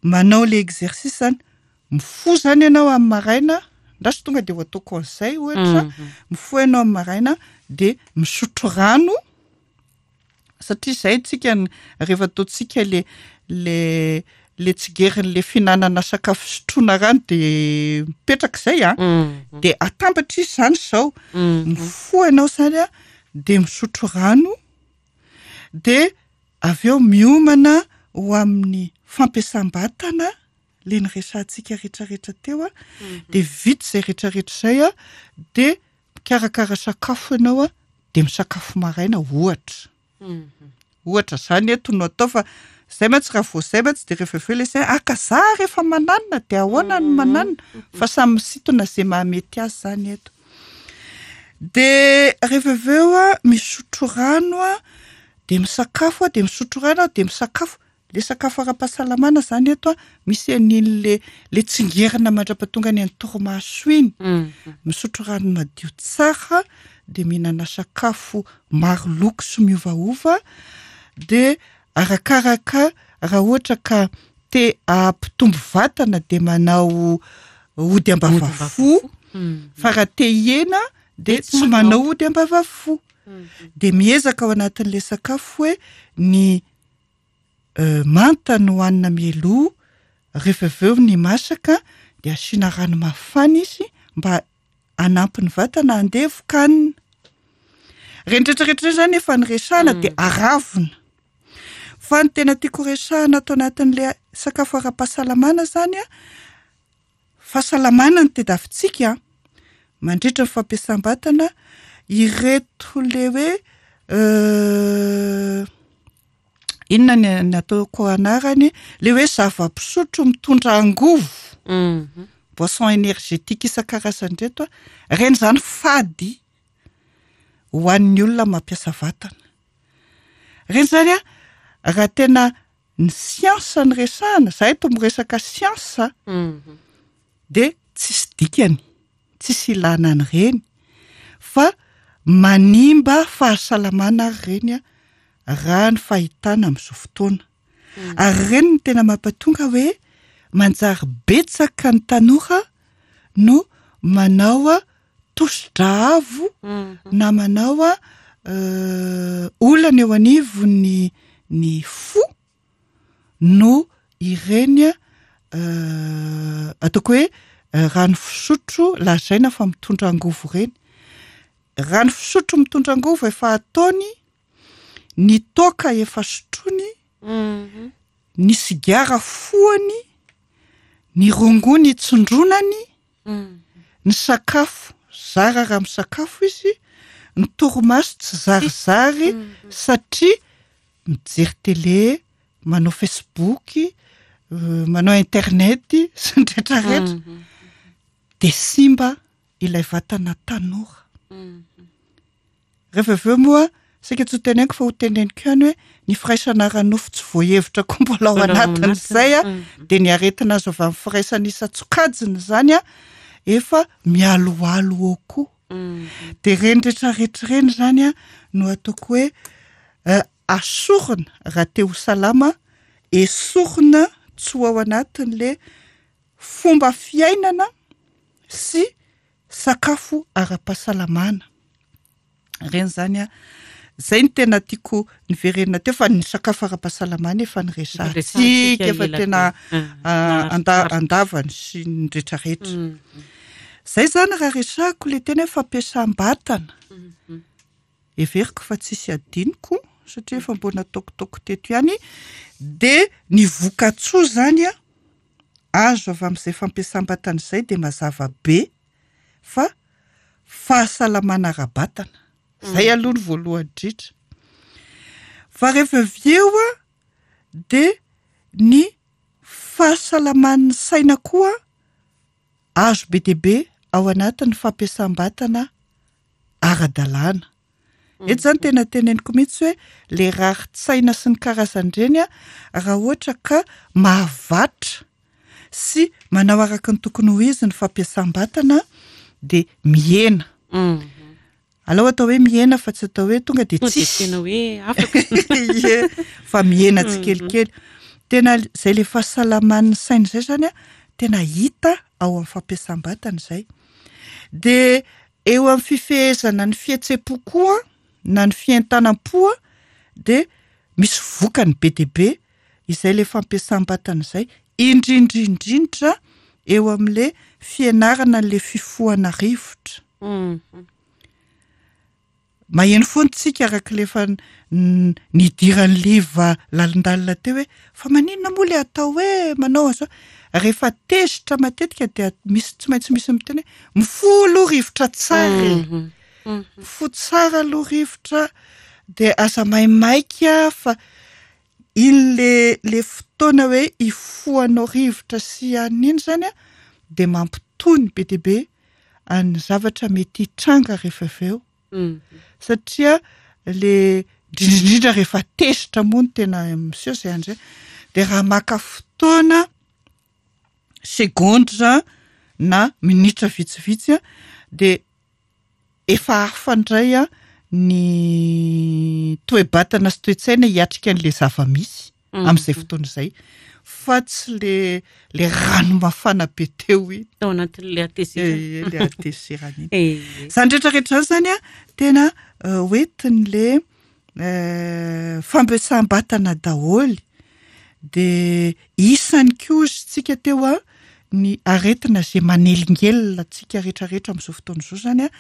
manao le exercice zany, mifoha zany ianao amin'ny maraina, ndraso tonga de ho ataoko an'izay ohatra, mifoha ianao amin'ny maraina de misotro rano, satria izay tsika rehefa ataontsika le le le tsigerin'le fihinanana sakafo fisotroana rano de mipetraka izay an, de atambatra izy zany izao, mifoha ianao zany an de misotro rano, de avy eo miomana ho amin'ny fampiasam-batana le niresahantsika rehetrarehetra teo an, de vita izay rehetrarehetra izay an, de mikarakara sakafo ianao an, de misakafo maraina ohatra. Ohatra zany eto no atao fa zay mantsy raha vao zay mantsy de rehefa avy eo le saina, ah ka za rehefa mananona de ahoana no mananona? Fa samy misintona ze mahamety azy zany eto. De rehefa avy eo an, misotro rano an, de misakafo an, de misotro rano an, de misakafo. Le sakafo ara-pahasalamana zany eto an, misy an'iny le le tsingerina mandra-pahatonga any amin'ny torimaso iny. Misotro rano madio tsara, de mihinana sakafo maro loko sy miovaova, de arakaraka raha ohatra ka te hampitombo vatana de manao ody ambavafo, fa raha te hihena de tsy manao ody ambavafo. De miezaka ao anatin'le sakafo hoe ny manta no hohanina mialoha, rehefa avy eo ny masaka de asiana rano mafana izy mba hanampy ny vatana handevoka-hanina. Ireny rehetrarehetra ireny zany efa niresahana de aravona. Fa ny tena tiako resahana ato anatin'le sakafo ara-pahasalamana zany an, fahasalamana no tadiavintsika an, mandritra ny fampiasam-batana, ireto le hoe inona ny ny ataoko anarany, le hoe zava-pisotro mitondra angovo, boisson énergétique isan-karazany ireto an, ireny zany fady ho an'ny olona mampiasa vatana. Ireny zany an, raha tena ny siansa no resahana, za eto miresaka siansa, de tsisy dikany, tsisy ilana an'ireny fa manimba fahasalamana ary ireny an, raha ny fahitana amin'izao fotoana. Ary ireny no tena mampatonga hoe manjary betsaka ny tanora no manao tosi-drà avo na manao olana eo anivon'ny ny fo no ireny ataoko hoe rano fisotro lazaina fa mitondra angovo ireny. Rano fisotro mitondra angovo efa ataony, ny toaka efa sotroiny, ny sigara fohany, ny rongony tsindronany, ny sakafo zara raha misakafo izy, ny torimaso tsy zarizary satria mijery télé, manao facebook, manao internet sy ny rehetrarehetra, de simba ilay vatana tanora. Rehefa avy eo moa, saika tsy ho teneniko fa ho teneniko ihany hoe ny firaisana ara-nofo tsy voahevitra koa mbola ao anatin'izay a, dia ny aretina azo avy amin'ny firaisana isan-tsokajiny izany a, efa mialoalo eo koa. Dia ireny rehetrarehetra ireny izany a no ataoko hoe asorina raha te ho salama, esorina tsy ho ao anatin'le fomba fiainana sy sakafo ara-pahasalamana. Ireny izany an, izay no tena tiako niverenana teo fa ny sakafo ara-pahasalamana efa niresahantsika, efa tena andavany sy ny rehetrarehetra. Izay izany raha resahako ilay tena hoe fampiasam-batana. Heveriko fa tsisy adinoko satria efa mbo nataokitaoko teto ihany dia ny vokatsoa izany an, azo avy amin'izay fampiasam-batana izay dia mazava be fa fahasalamana ara-batana. Izay aloha ny voalohany indrindra. Fa rehefa avy eo an, dia ny fahasalaman'ny saina koa azo be dia be ao anatin'ny fampiasam-batana ara-dalàna. Eto izany tena teneniko mihitsy hoe le rarin-tsaina sy ny karazan'ireny an, raha ohatra ka mahavatra sy manao araka ny tokony ho izy ny fampiasam-batana dia mihena. Alao atao hoe mihena fa tsy atao hoe tonga dia tsisy. Tena hoe afaka. Ie, fa mihena tsikelikely. Tena izay le fahasalaman'ny saina izay zany an, tena hita ao amin'ny fampiasam-batana izay. Dia eo amin'ny fifehezana ny fihetsem-po koa na ny fientanam-po dia misy vokany be dia be izay le fampiasam-batana izay, indrindra indrindra eo amin'le fianarana an'le fifohana rivotra. Maheno foana tsika araka ilay efa nidiran'i Liva lalindalina teo hoe fa maninona moa ilay atao hoe manao an'izao? Rehefa tezitra matetika dia misy tsy maintsy misy miteny hoe mifoha aloha rivotra tsara e! Mifoha tsara aloha rivotra dia aza maimaika fa iny le le fotoana hoe hifohanao rivotra sy an'iny izany an dia mampitony be dia be an'ny zavatra mety hitranga rehefa avy eo satria le indrindra indrindra rehefa tezitra moa no tena miseho izay andro izay dia raha maka fotoana segondra na minitra vitsivitsy dia efa hafa indray ny toe-batana sy toe-tsaina hiatrika an'ilay zava-misy amin'izay fotoana izay fa tsy le le rano mafana be teo iny. Tao anatin'ilay hatezerana. Ee, le hatezerana iny. Izany rehetra rehetra izany zany an, tena hoentin'le fampiasam-batana daholo. Dia isany koa hozy tsika teo an, ny aretina izay manelingelina antsika rehetra rehetra amin'izao fotoana izao izany an,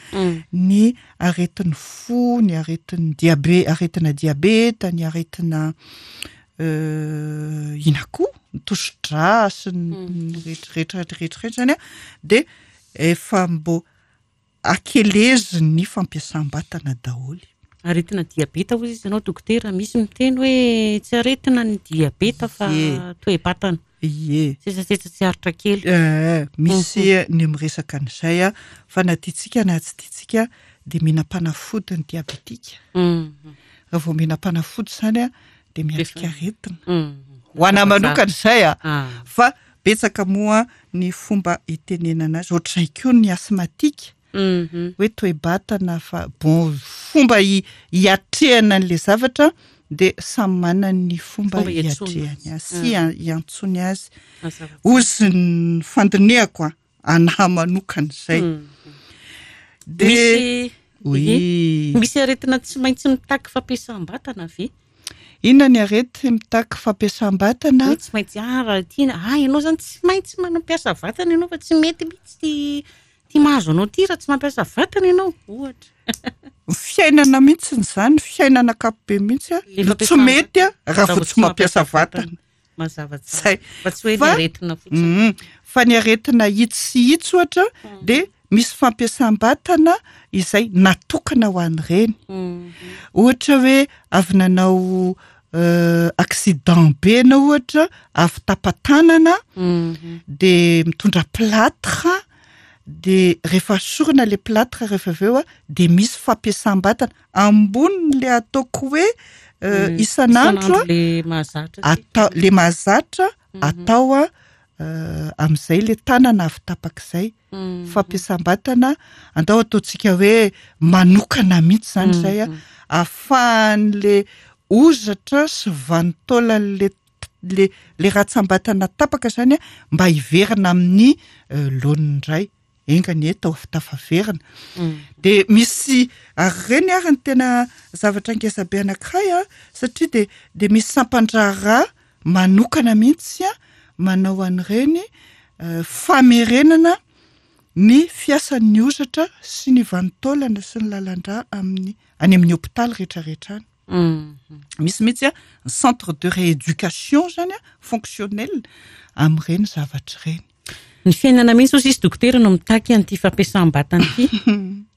ny aretin'ny fo, ny aretin'ny diabe- aretina diabeta, ny aretina inona koa, ny tosi-drà sy ny rehetra rehetra rehetra rehetra izany an, dia efa mbô Akeleziny ny fampiasam-batana daholo. Aretina diabeta hoy izy ianao dokotera, misy miteny hoe tsy aretina ny diabeta fa toe-batana. Ie. Sesasesa tsy aritra kely. Eh, misy ny miresaka an'izay a, fa na tiantsika na tsy tiantsika dia mihinam-panafody ny diabetika. Raha vao mihinam-panafody izany a, dia miatrika aretina. Ho anà manokana izay a, fa betsaka moa ny fomba itenenana azy, ohatr'izay koa ny asthmatique, hoe toe-batana fa bon fomba hiatrehana an'ilay zavatra dia samy manana ny fomba hiatrehany azy sy hiantsoany azy. Hozy ny fandinihako an, anah manokana izay. Dia oui. Misy aretina tsy maintsy mitaky fampiasam-batana ve? Inona ny arety mitaky fampiasam-batana? Hoe tsy maintsy, ah raha ity, ah ianao zany tsy maintsy mampiasa vatana ianao fa tsy mety mihitsy ity ity mahazo anao ity raha tsy mampiasa vatana ianao, ohatra. Ny fiainana mihitsy izany, ny fiainana ankapobeny mihitsy Le no tsy mety raha vao tsy mampiasa vatana. Mazava tsara. Fa tsy hoe ny aretina fotsiny. Fa ny aretina itsy sy itsy ohatra dia misy fampiasam-batana izay natokana ho an'ireny. Ohatra hoe avy nanao accident be ianao ohatra, avy tapa-tanana dia mitondra plâtre dia rehefa asorina ilay plâtre rehefa avy eo dia misy fampiasam-batana ambonin'ilay ataoko hoe isan'andro le mahazatra atao le mahazatra atao amin'izay le tanana avy tapaka izay fampiasam-batana andao ataontsika hoe manokana mihitsy izany izay a ahafahan'le hozatra sy vanin-taolan'le le le ratsam-batana tapaka izany a mba hiverina amin'ny laoniny indray Enga anie tao tafaverina. Dia misy ary ireny ary ny tena zavatra ngeza be anankiray a, satria dia dia misy sampan-draharaha manokana mihitsy a manao an'ireny famerenana ny fiasan'ny hozatra sy ny vanin-taolana sy ny lalan-drà amin'ny any amin'ny hopitaly rehetrarehetra any. Misy mihitsy ny centre de rééducation zany a, fonctionnel amin'ireny zavatra ireny. Ny fiainana mihitsy hozy izy dokotera no mitaky an'ity fampiasam-batana ity.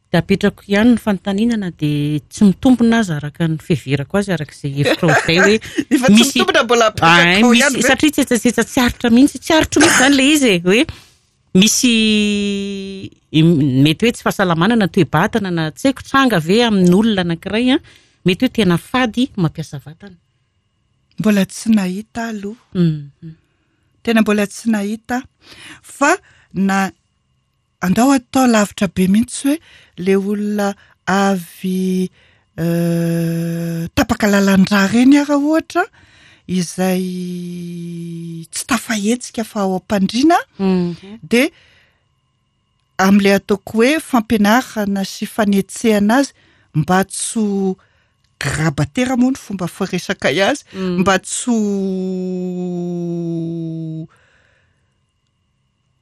Dia apetrako ihany ny fanontaniana na dia tsy mitombina aza araka ny fiheverako azy araka izay hevitrao izay hoe Efa tsy mitombina mbola apetrako ihany ve? Satria tsetsatsetsa tsy aritra mihitsy, tsy aritro mihitsy izany ilay izy e, hoe misy mety hoe tsy fahasalamana na toe-batana na tsy haiko tranga ve amin'olona anankiray an, mety hoe tena fady mampiasa vatana. Mbola tsy nahita aho aloha. Tena mbola tsy nahita aho. Fa na andao atao lavitra be mihitsy hoe le olona avy tapaka lalan-drà ireny ara ohatra izay tsy tafahetsika fa ao am-pandriana dia amin'ilay ataoko hoe fampianarana sy fanetsehana azy mba tsy ho grabatera moa ny fomba firesakay azy, mba tsy ho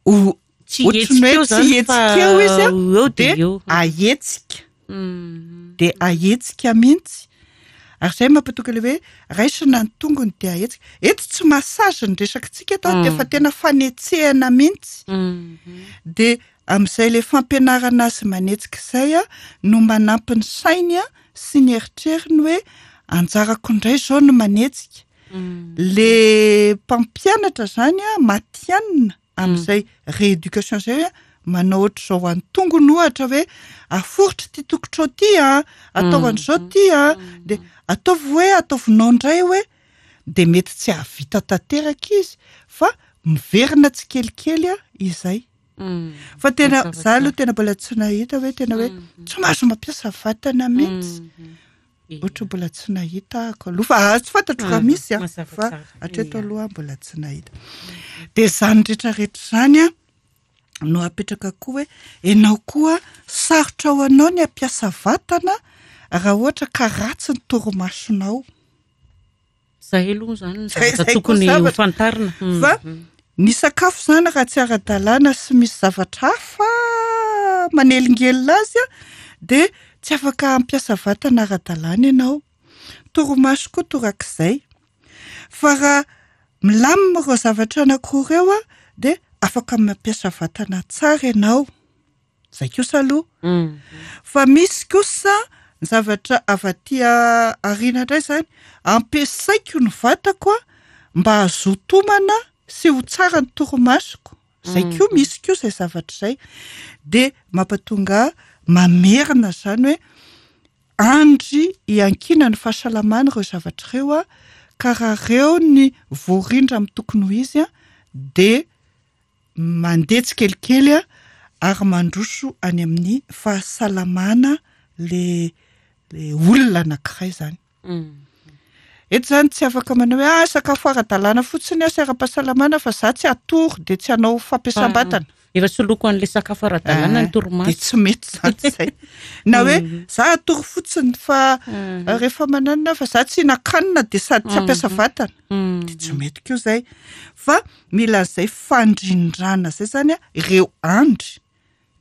ho Tsy ohatry ny hihetsika hoe eo tsy zany fa hihetsika eo izy an, eo dia dia eo. ahetsika. Dia ahetsika mihitsy. Ary izay mampatonga ilay hoe raisina ny tongony dia ahetsika. Eto tsy massage ny resakitsika eto an, fa tena fanetsehana mihitsy. Dia amin'izay ilay fampianarana azy manetsika izay an, no manampy ny sainy an sy ny eritreriny hoe anjarako indray izao no manetsika. Le mpampianatra izany an, matihanina amin'izay rééducation izay hoe manao ohatr'izao an'ny tongony ohatra hoe aforitra ity tongotrao ity an, atao an'izao ity an, dia ataovy hoe ataovinao indray hoe, dia mety tsy hahavita tanteraka izy fa miverina tsikelikely izay. Fa tena za aloha tena mbola tsy nahita hoe tena hoe tsy mahazo mampiasa vatana mihitsy. Ohatra mbola tsy nahita ahako aloha fa ah, tsy fantatro raha misy a, fa hatreto aloha mbola tsy nahita. Dia izany rehetrarehetra izany a no apetraka koa hoe ianao koa sarotra ho anao ny hampiasa vatana raha ohatra ka ratsy ny torimasonao. Zay aloha zany ny zavatra tokony ho fantarina. Fa ny sakafo zany raha tsy ara-dalàna sy misy zavatra hafa manelingelina azy dia tsy afaka hampiasa vatana ara-dalàna ianao. Torimaso koa torak'izay. Fa raha milamina ireo zavatra anankiroa ireo dia afaka mampiasa vatana tsara ianao. Zay kosa aloha. Fa misy kosa ny zavatra avy aty aoriana indray zany, ampiasaiko ny vatako mba hazoto homana sy ho tsara ny torimasoko. Zay koa misy koa zay zavatra izay. Dia mampatonga ahy mamerina zany hoe andry iankinan'ny fahasalamana ireo zavatra ireo ka raha ireo ny voarindra amin'ny tokony ho izy dia mandeha tsikelikely ary mandroso any amin'ny fahasalamana le le olona anankiray zany. Eto zany tsy afaka manao hoe ah sakafo ara-dalàna fotsiny aho sy ara-pahasalamana fa za tsy hatory de tsy hanao fampiasam-batana. Efa soloiko an'le sakafo ara-dalàna ny torimaso. De tsy mety zany zay. Na hoe za hatory fotsiny fa rehefa mananona fa za tsy hihinan-kanina de sady tsy hampiasa vatana. De tsy mety koa zay. Fa mila an'izay fandrindrana izay zany an, ireo andry,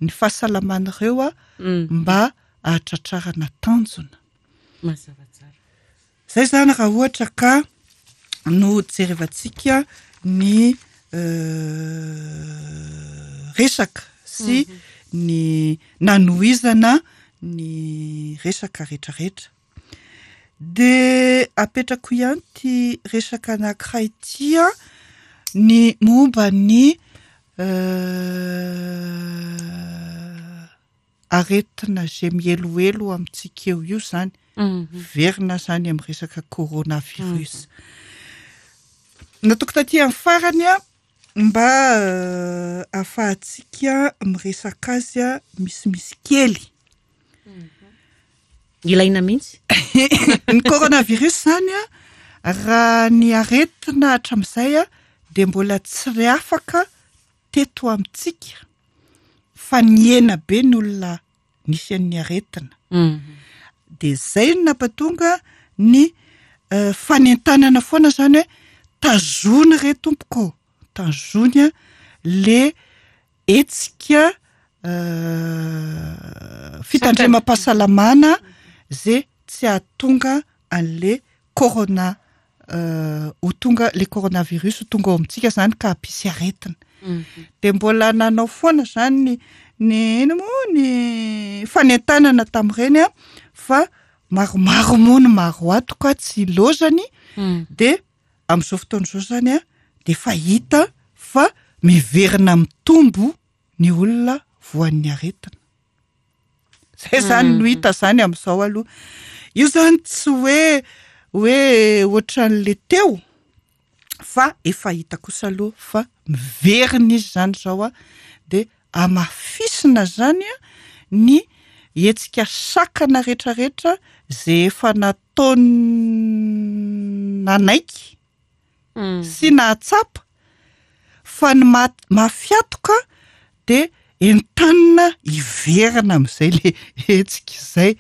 ny fahasalaman'ireo an, mba hahatratrarana tanjona. Mazava tsara. Izay izany raha ohatra ka no jerevantsika ny resaka sy ny nanohizana ny resaka rehetrarehetra. Dia apetrako ihany ity resaka anankiray ity an, ny momba ny aretina izay mihelohelo amintsika eo io izany, miverina izany amin'ny resaka coronavirus. Nataoko taty amin'ny farany an, mba ahafahantsika miresaka azy misimisy kely. Ilaina mihitsy. Ny coronavirus izany an, raha ny aretina hatramin'izay an, dia mbola tsy re afaka teto amintsika fa nihena be ny olona nisy an'ny aretina. Dia izay no nampatonga ny fanentanana foana izany hoe tazony re tompoko ô, tazony le hetsika fitandremam-pahasalamana ze tsy hahatonga an'le corona ho tonga le coronavirus ho tonga ao amintsika zany ka hampisy aretina. De mbola nanao foana zany ny ny ino moa ny fanentanana tamin'ireny an, fa maromaro moa ny maro ato ka tsy ilaozany de Amin'izao fotoana izao izany an, dia efa hita fa miverina mitombo ny olona voan'ny aretina. Izay izany no hita izany amin'izao aloha. Io izany tsy hoe hoe ohatran'le teo fa efa hita kosa aloha fa miverina izy izany izao an, dia hamafisina izany an ny. hetsika sakana rehetrarehetra ze efa nataony nanaiky sy nahatsapa fa ny mafiatoka dia entanina hiverina amin'izay le hetsika izay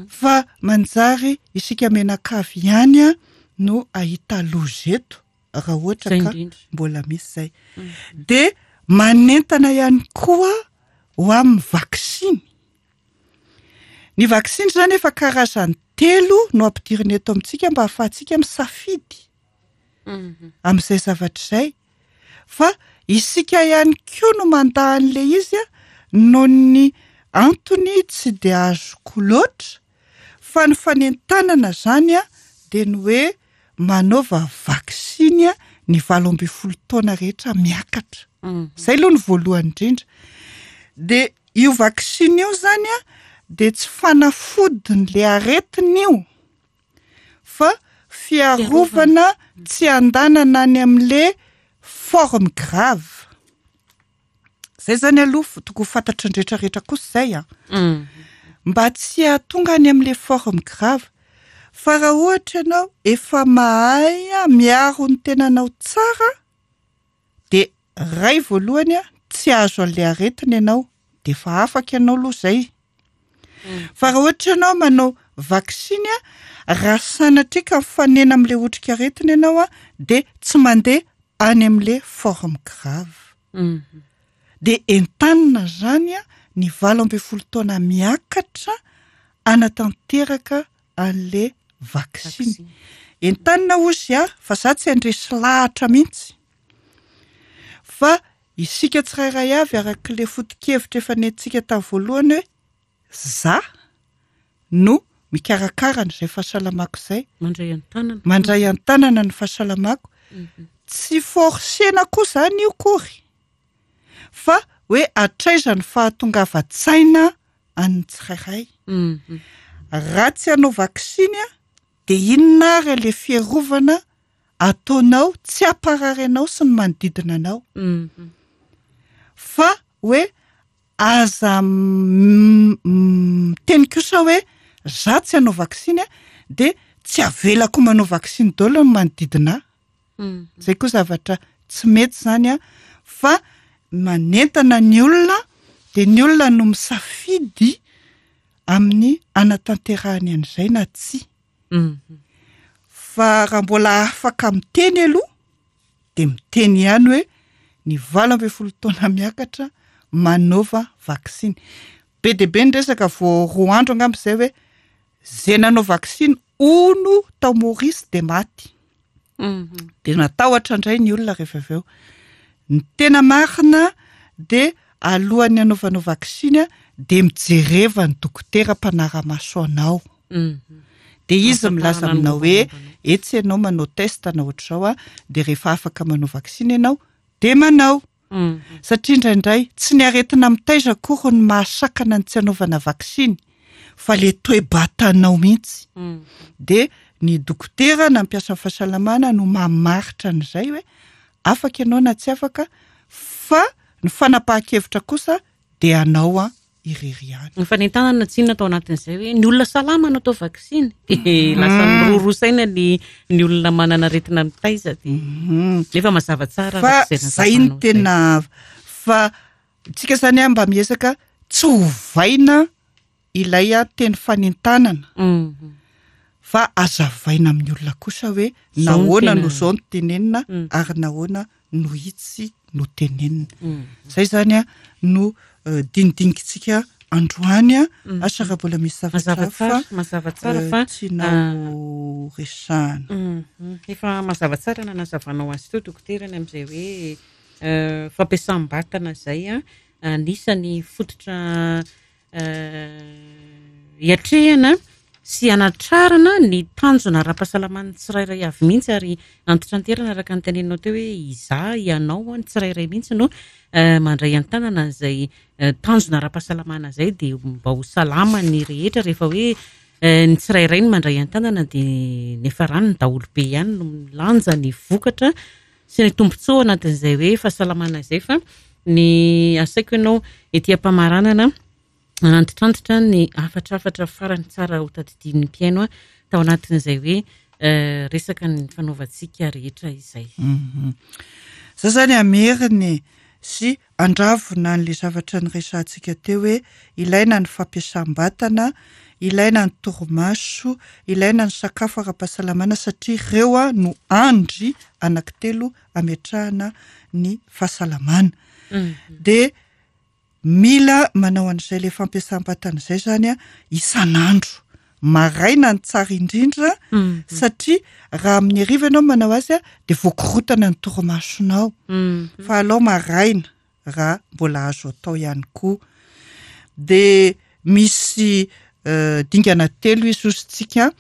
fa manjary isika mianakavy ihany no ahita loza eto raha ohatra ka mbola misy izay. Dia manentana ihany koa ho amin'ny vaksiny. Ny vaksiny izany efa karazany telo no ampidirina eto amintsika mba hahafahantsika misafidy amin'izay zavatra izay. Fa isika ihany koa no mandà an'ilay izy noho ny antony tsy dia azoko loatra fa ny fanentanana izany dia ny hoe manaova vaksiny ny 18 taona rehetra miakatra. Izay aloha ny voalohany indrindra. Dia io vaksiny io izany dia tsy fanafodin'ilay aretina io fa fiarovana tsy handanana any amin'ilay forme grave. Zay zany aloha tokony ho fantatry ny rehetra rehetra kosa izay an. Mba tsy hahatonga any amin'ilay forme grave. Fa raha ohatra ianao efa mahay miaro ny tenanao tsara dia ray voalohany an, tsy azo an'ilay aretina ianao, dia efa afaka ianao aloha izay. Fa raha ohatra ianao manao vaksiny an, raha sanatria ka mifanena amin'ilay otrikaretina ianao an, dia tsy mandeha any amin'ilay forme grave. Dia entanina izany ny 18 taona miakatra hanatanteraka an'ilay vaksiny. Entanina hozy aho fa za tsy handresy lahatra mihitsy. Fa isika tsirairay avy arak'ilay foto-kevitra efa nentintsika tamin'ny voalohany hoe za no mikarakara an'izay fahasalamako izay. Mandray an-tanana. Mandray an-tanana ny fahasalamako. Tsy forcena koa izany io akory. Fa hoe hatraiza ny fahatongavan-tsaina an'ny tsirairay. Raha tsy hanao vaksiny dia inona ary ilay fiarovana ataonao tsy hamparary anao sy ny manodidina anao. Fa hoe aza miteny kosa hoe za tsy hanao vaksiny dia tsy avelako manao vaksiny daholo ny manodidina ahy. Zay koa zavatra tsy mety zany an, fa manentana ny olona dia ny olona no misafidy amin'ny hanatanterahany an'izay na tsia. Fa raha mbola afaka miteny aloha dia miteny ihany hoe ny 18 taona miakatra manaova vaksiny. Be dia be ny resaka vao roa andro angamba izay hoe izay nanao vaksiny hono tao Maurice dia maty. Dia natahotra indray ny olona rehefa avy eo. Ny tena marina dia alohan'ny hanaovanao vaksiny dia mijereva ny dokotera mpanara-maso anao. Dia izy milaza aminao hoe etsy ianao manao test na ohatr'izao dia rehefa afaka manao vaksiny ianao dia manao. Satria indraindray tsy ny aretina mitaiza akory no mahasakana ny tsy hanaovana vaksiny fa le toe-batanao mihitsy. Dia ny dokotera na mpiasan'ny fahasalamana no mamaritra an'izay hoe afaka ianao na tsy afaka fa ny fanapahan-kevitra kosa dia anao an irery ihany. Ny fanentanana tsinona tao anatin'izay hoe ny olona salama no atao vaksiny dia lasa miroroa saina ny ny olona manana aretina mitaiza dia nefa mazava tsara Fa araka izay zay no nazavanao izay. tena fa tsika zany an mba miezaka tsy ovaina ilay teny fanentanana fa azavaina amin'ny olona kosa hoe Zao no nahoana tena no zao no tenenina ary nahoana no itsy no tenenina. Zay zany a no dinidinikintsika androany a, asa raha mbola misy zavatra Mazava hafa tsara, mazava tsara fa, tianao resahana. Efa mazava tsara nanazavanao azy teo dokotera ny amin'izay hoe fampiasam-batana izay a, anisan'ny fototra hiatrehana sy hanatrarana ny tanjona ara-pahasalaman'ny tsirairay avy mihitsy ary antitranterana araka ny teneninao teo hoe izaho, ianao, ny tsirairay mihitsy no mandray an-tanana an'izay tanjona ara-pahasalamana izay dia mba ho salama ny rehetra rehefa hoe ny tsirairay no mandray an-tanana dia niafarany ny daholobe ihany no milanja ny vokatra sy ny tombontsoa anatin'izay hoe fahasalamana izay fa ny asaiko ianao ety am-pamaranana. Nanantitrantitra ny hafatrafatra farany tsara ho tadidian'ny mpihaino tao anatin'izay hoe resaka nifanaovantsika rehetra izay. Za zany hamerina e, sy handravona an'le zavatra niresahantsika teo hoe ilaina ny fampiasam-batana, ilaina ny torimaso, ilaina ny sakafo ara-pahasalamana satria ireo no andry anankitelo ametrahana ny fahasalamana. Dia Mila manao an'izay ilay fampiasam-batana izay izany isan'andro. Maraina ny tsara indrindra satria raha amin'ny hariva ianao manao azy dia voakorotana ny torimasonao. Fa alao maraina raha mbola azo atao ihany koa. Dia misy dingana telo izy hozy tsika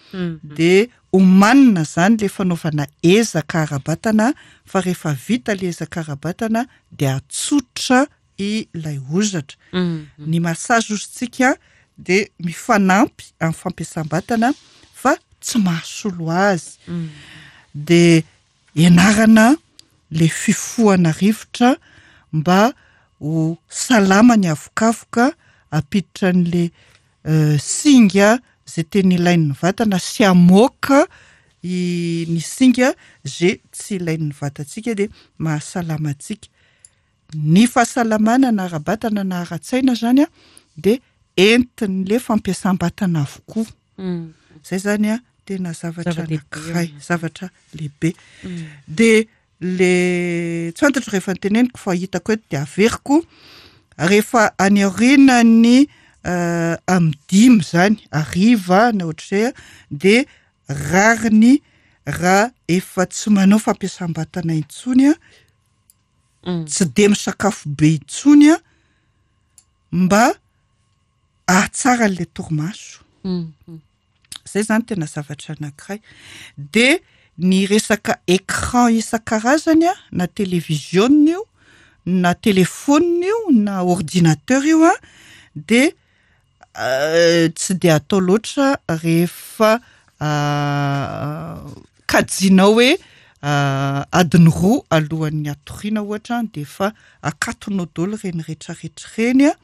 dia omanina izany ilay fanaovana ezaka ara-batana fa rehefa vita ilay ezaka ara-batana dia atsotra ilay hozatra. Ny massage ozintsika dia mifanampy amin'ny fampiasam-batana fa tsy mahasolo azy. Dia ianarana le fifohana rivotra mba ho salama ny avokavoka, hampiditra an'le singa izay tena ilain'ny vatana sy hamoaka ny singa izay tsy ilain'ny vatantsika dia mahasalama antsika. Ny fahasalamana na ara-batana na ara-tsaina zany a dia entin'le fampiasam-batana avokoa. Zay zany a tena zavatra anankiray, zavatra lehibe. Dia le tsy fantatro rehefa noteneniko fa hitako eto dia averiko, rehefa any aorianan'ny amin'ny dimy zany, hariva na ohatr'izay a, dia rariny raha efa tsy manao fampiasam-batana intsony a, tsy dia misakafo be intsony an, mba ahatsara an'ilay torimaso. Zay zany tena zavatra anankiray. De ny resaka écran isan-karazany an, na televiziona io, na telephone io, na ordinateur io an, de Tsy dia atao loatra rehefa kajianao hoe adiny roa alohan'ny hatoriana ohatra dia efa akatonao daholo ireny rehetrarehetra ireny an,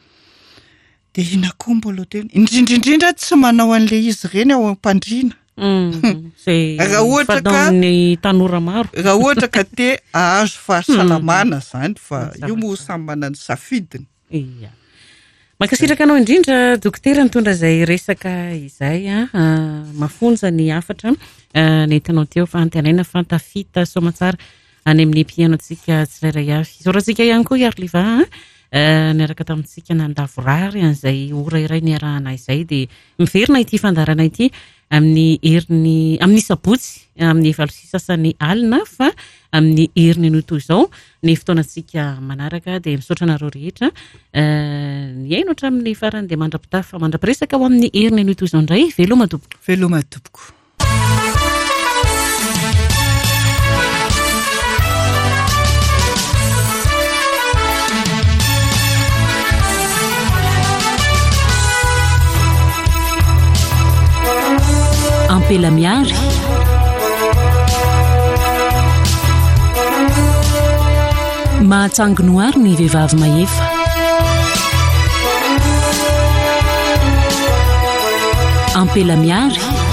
dia inona koa mbola ho tena, indrindra indrindra tsy manao an'ilay izy ireny ao am-pandriana. Izay Raha ohatra ka fanaon'ny tanora maro. Raha ohatra ka te hahazo fahasalamana izany fa io moa samy manana ny safidiny. Ia. Mankasitraka anao indrindra dokotera nitondra izay resaka izay a. Ah, mafonja ny hafatra ah, nentinao teo fa antenaina fa tafita soamantsara any amin'ny mpihaino antsika tsirairay avy. Isaorantsika ihany koa i Arliva ah, niaraka tamintsika nandavorary an'izay ora iray niarahana izay dia miverina ity fandaharana ity amin'ny herin'ny amin'ny sabotsy amin'ny 8:30 alina fa amin'ny heriny anio toy izao ny fotoanantsika manaraka dia misaotra anareo rehetra nihaino hatramin'ny farany dia mandra-pitafa mandra-piresaka ho amin'ny heriny anio toy izao indray veloma tompoko veloma tompoko Ampela Miary. Mahatsangy noary ny vehivavy mahefa. Ampela Miary.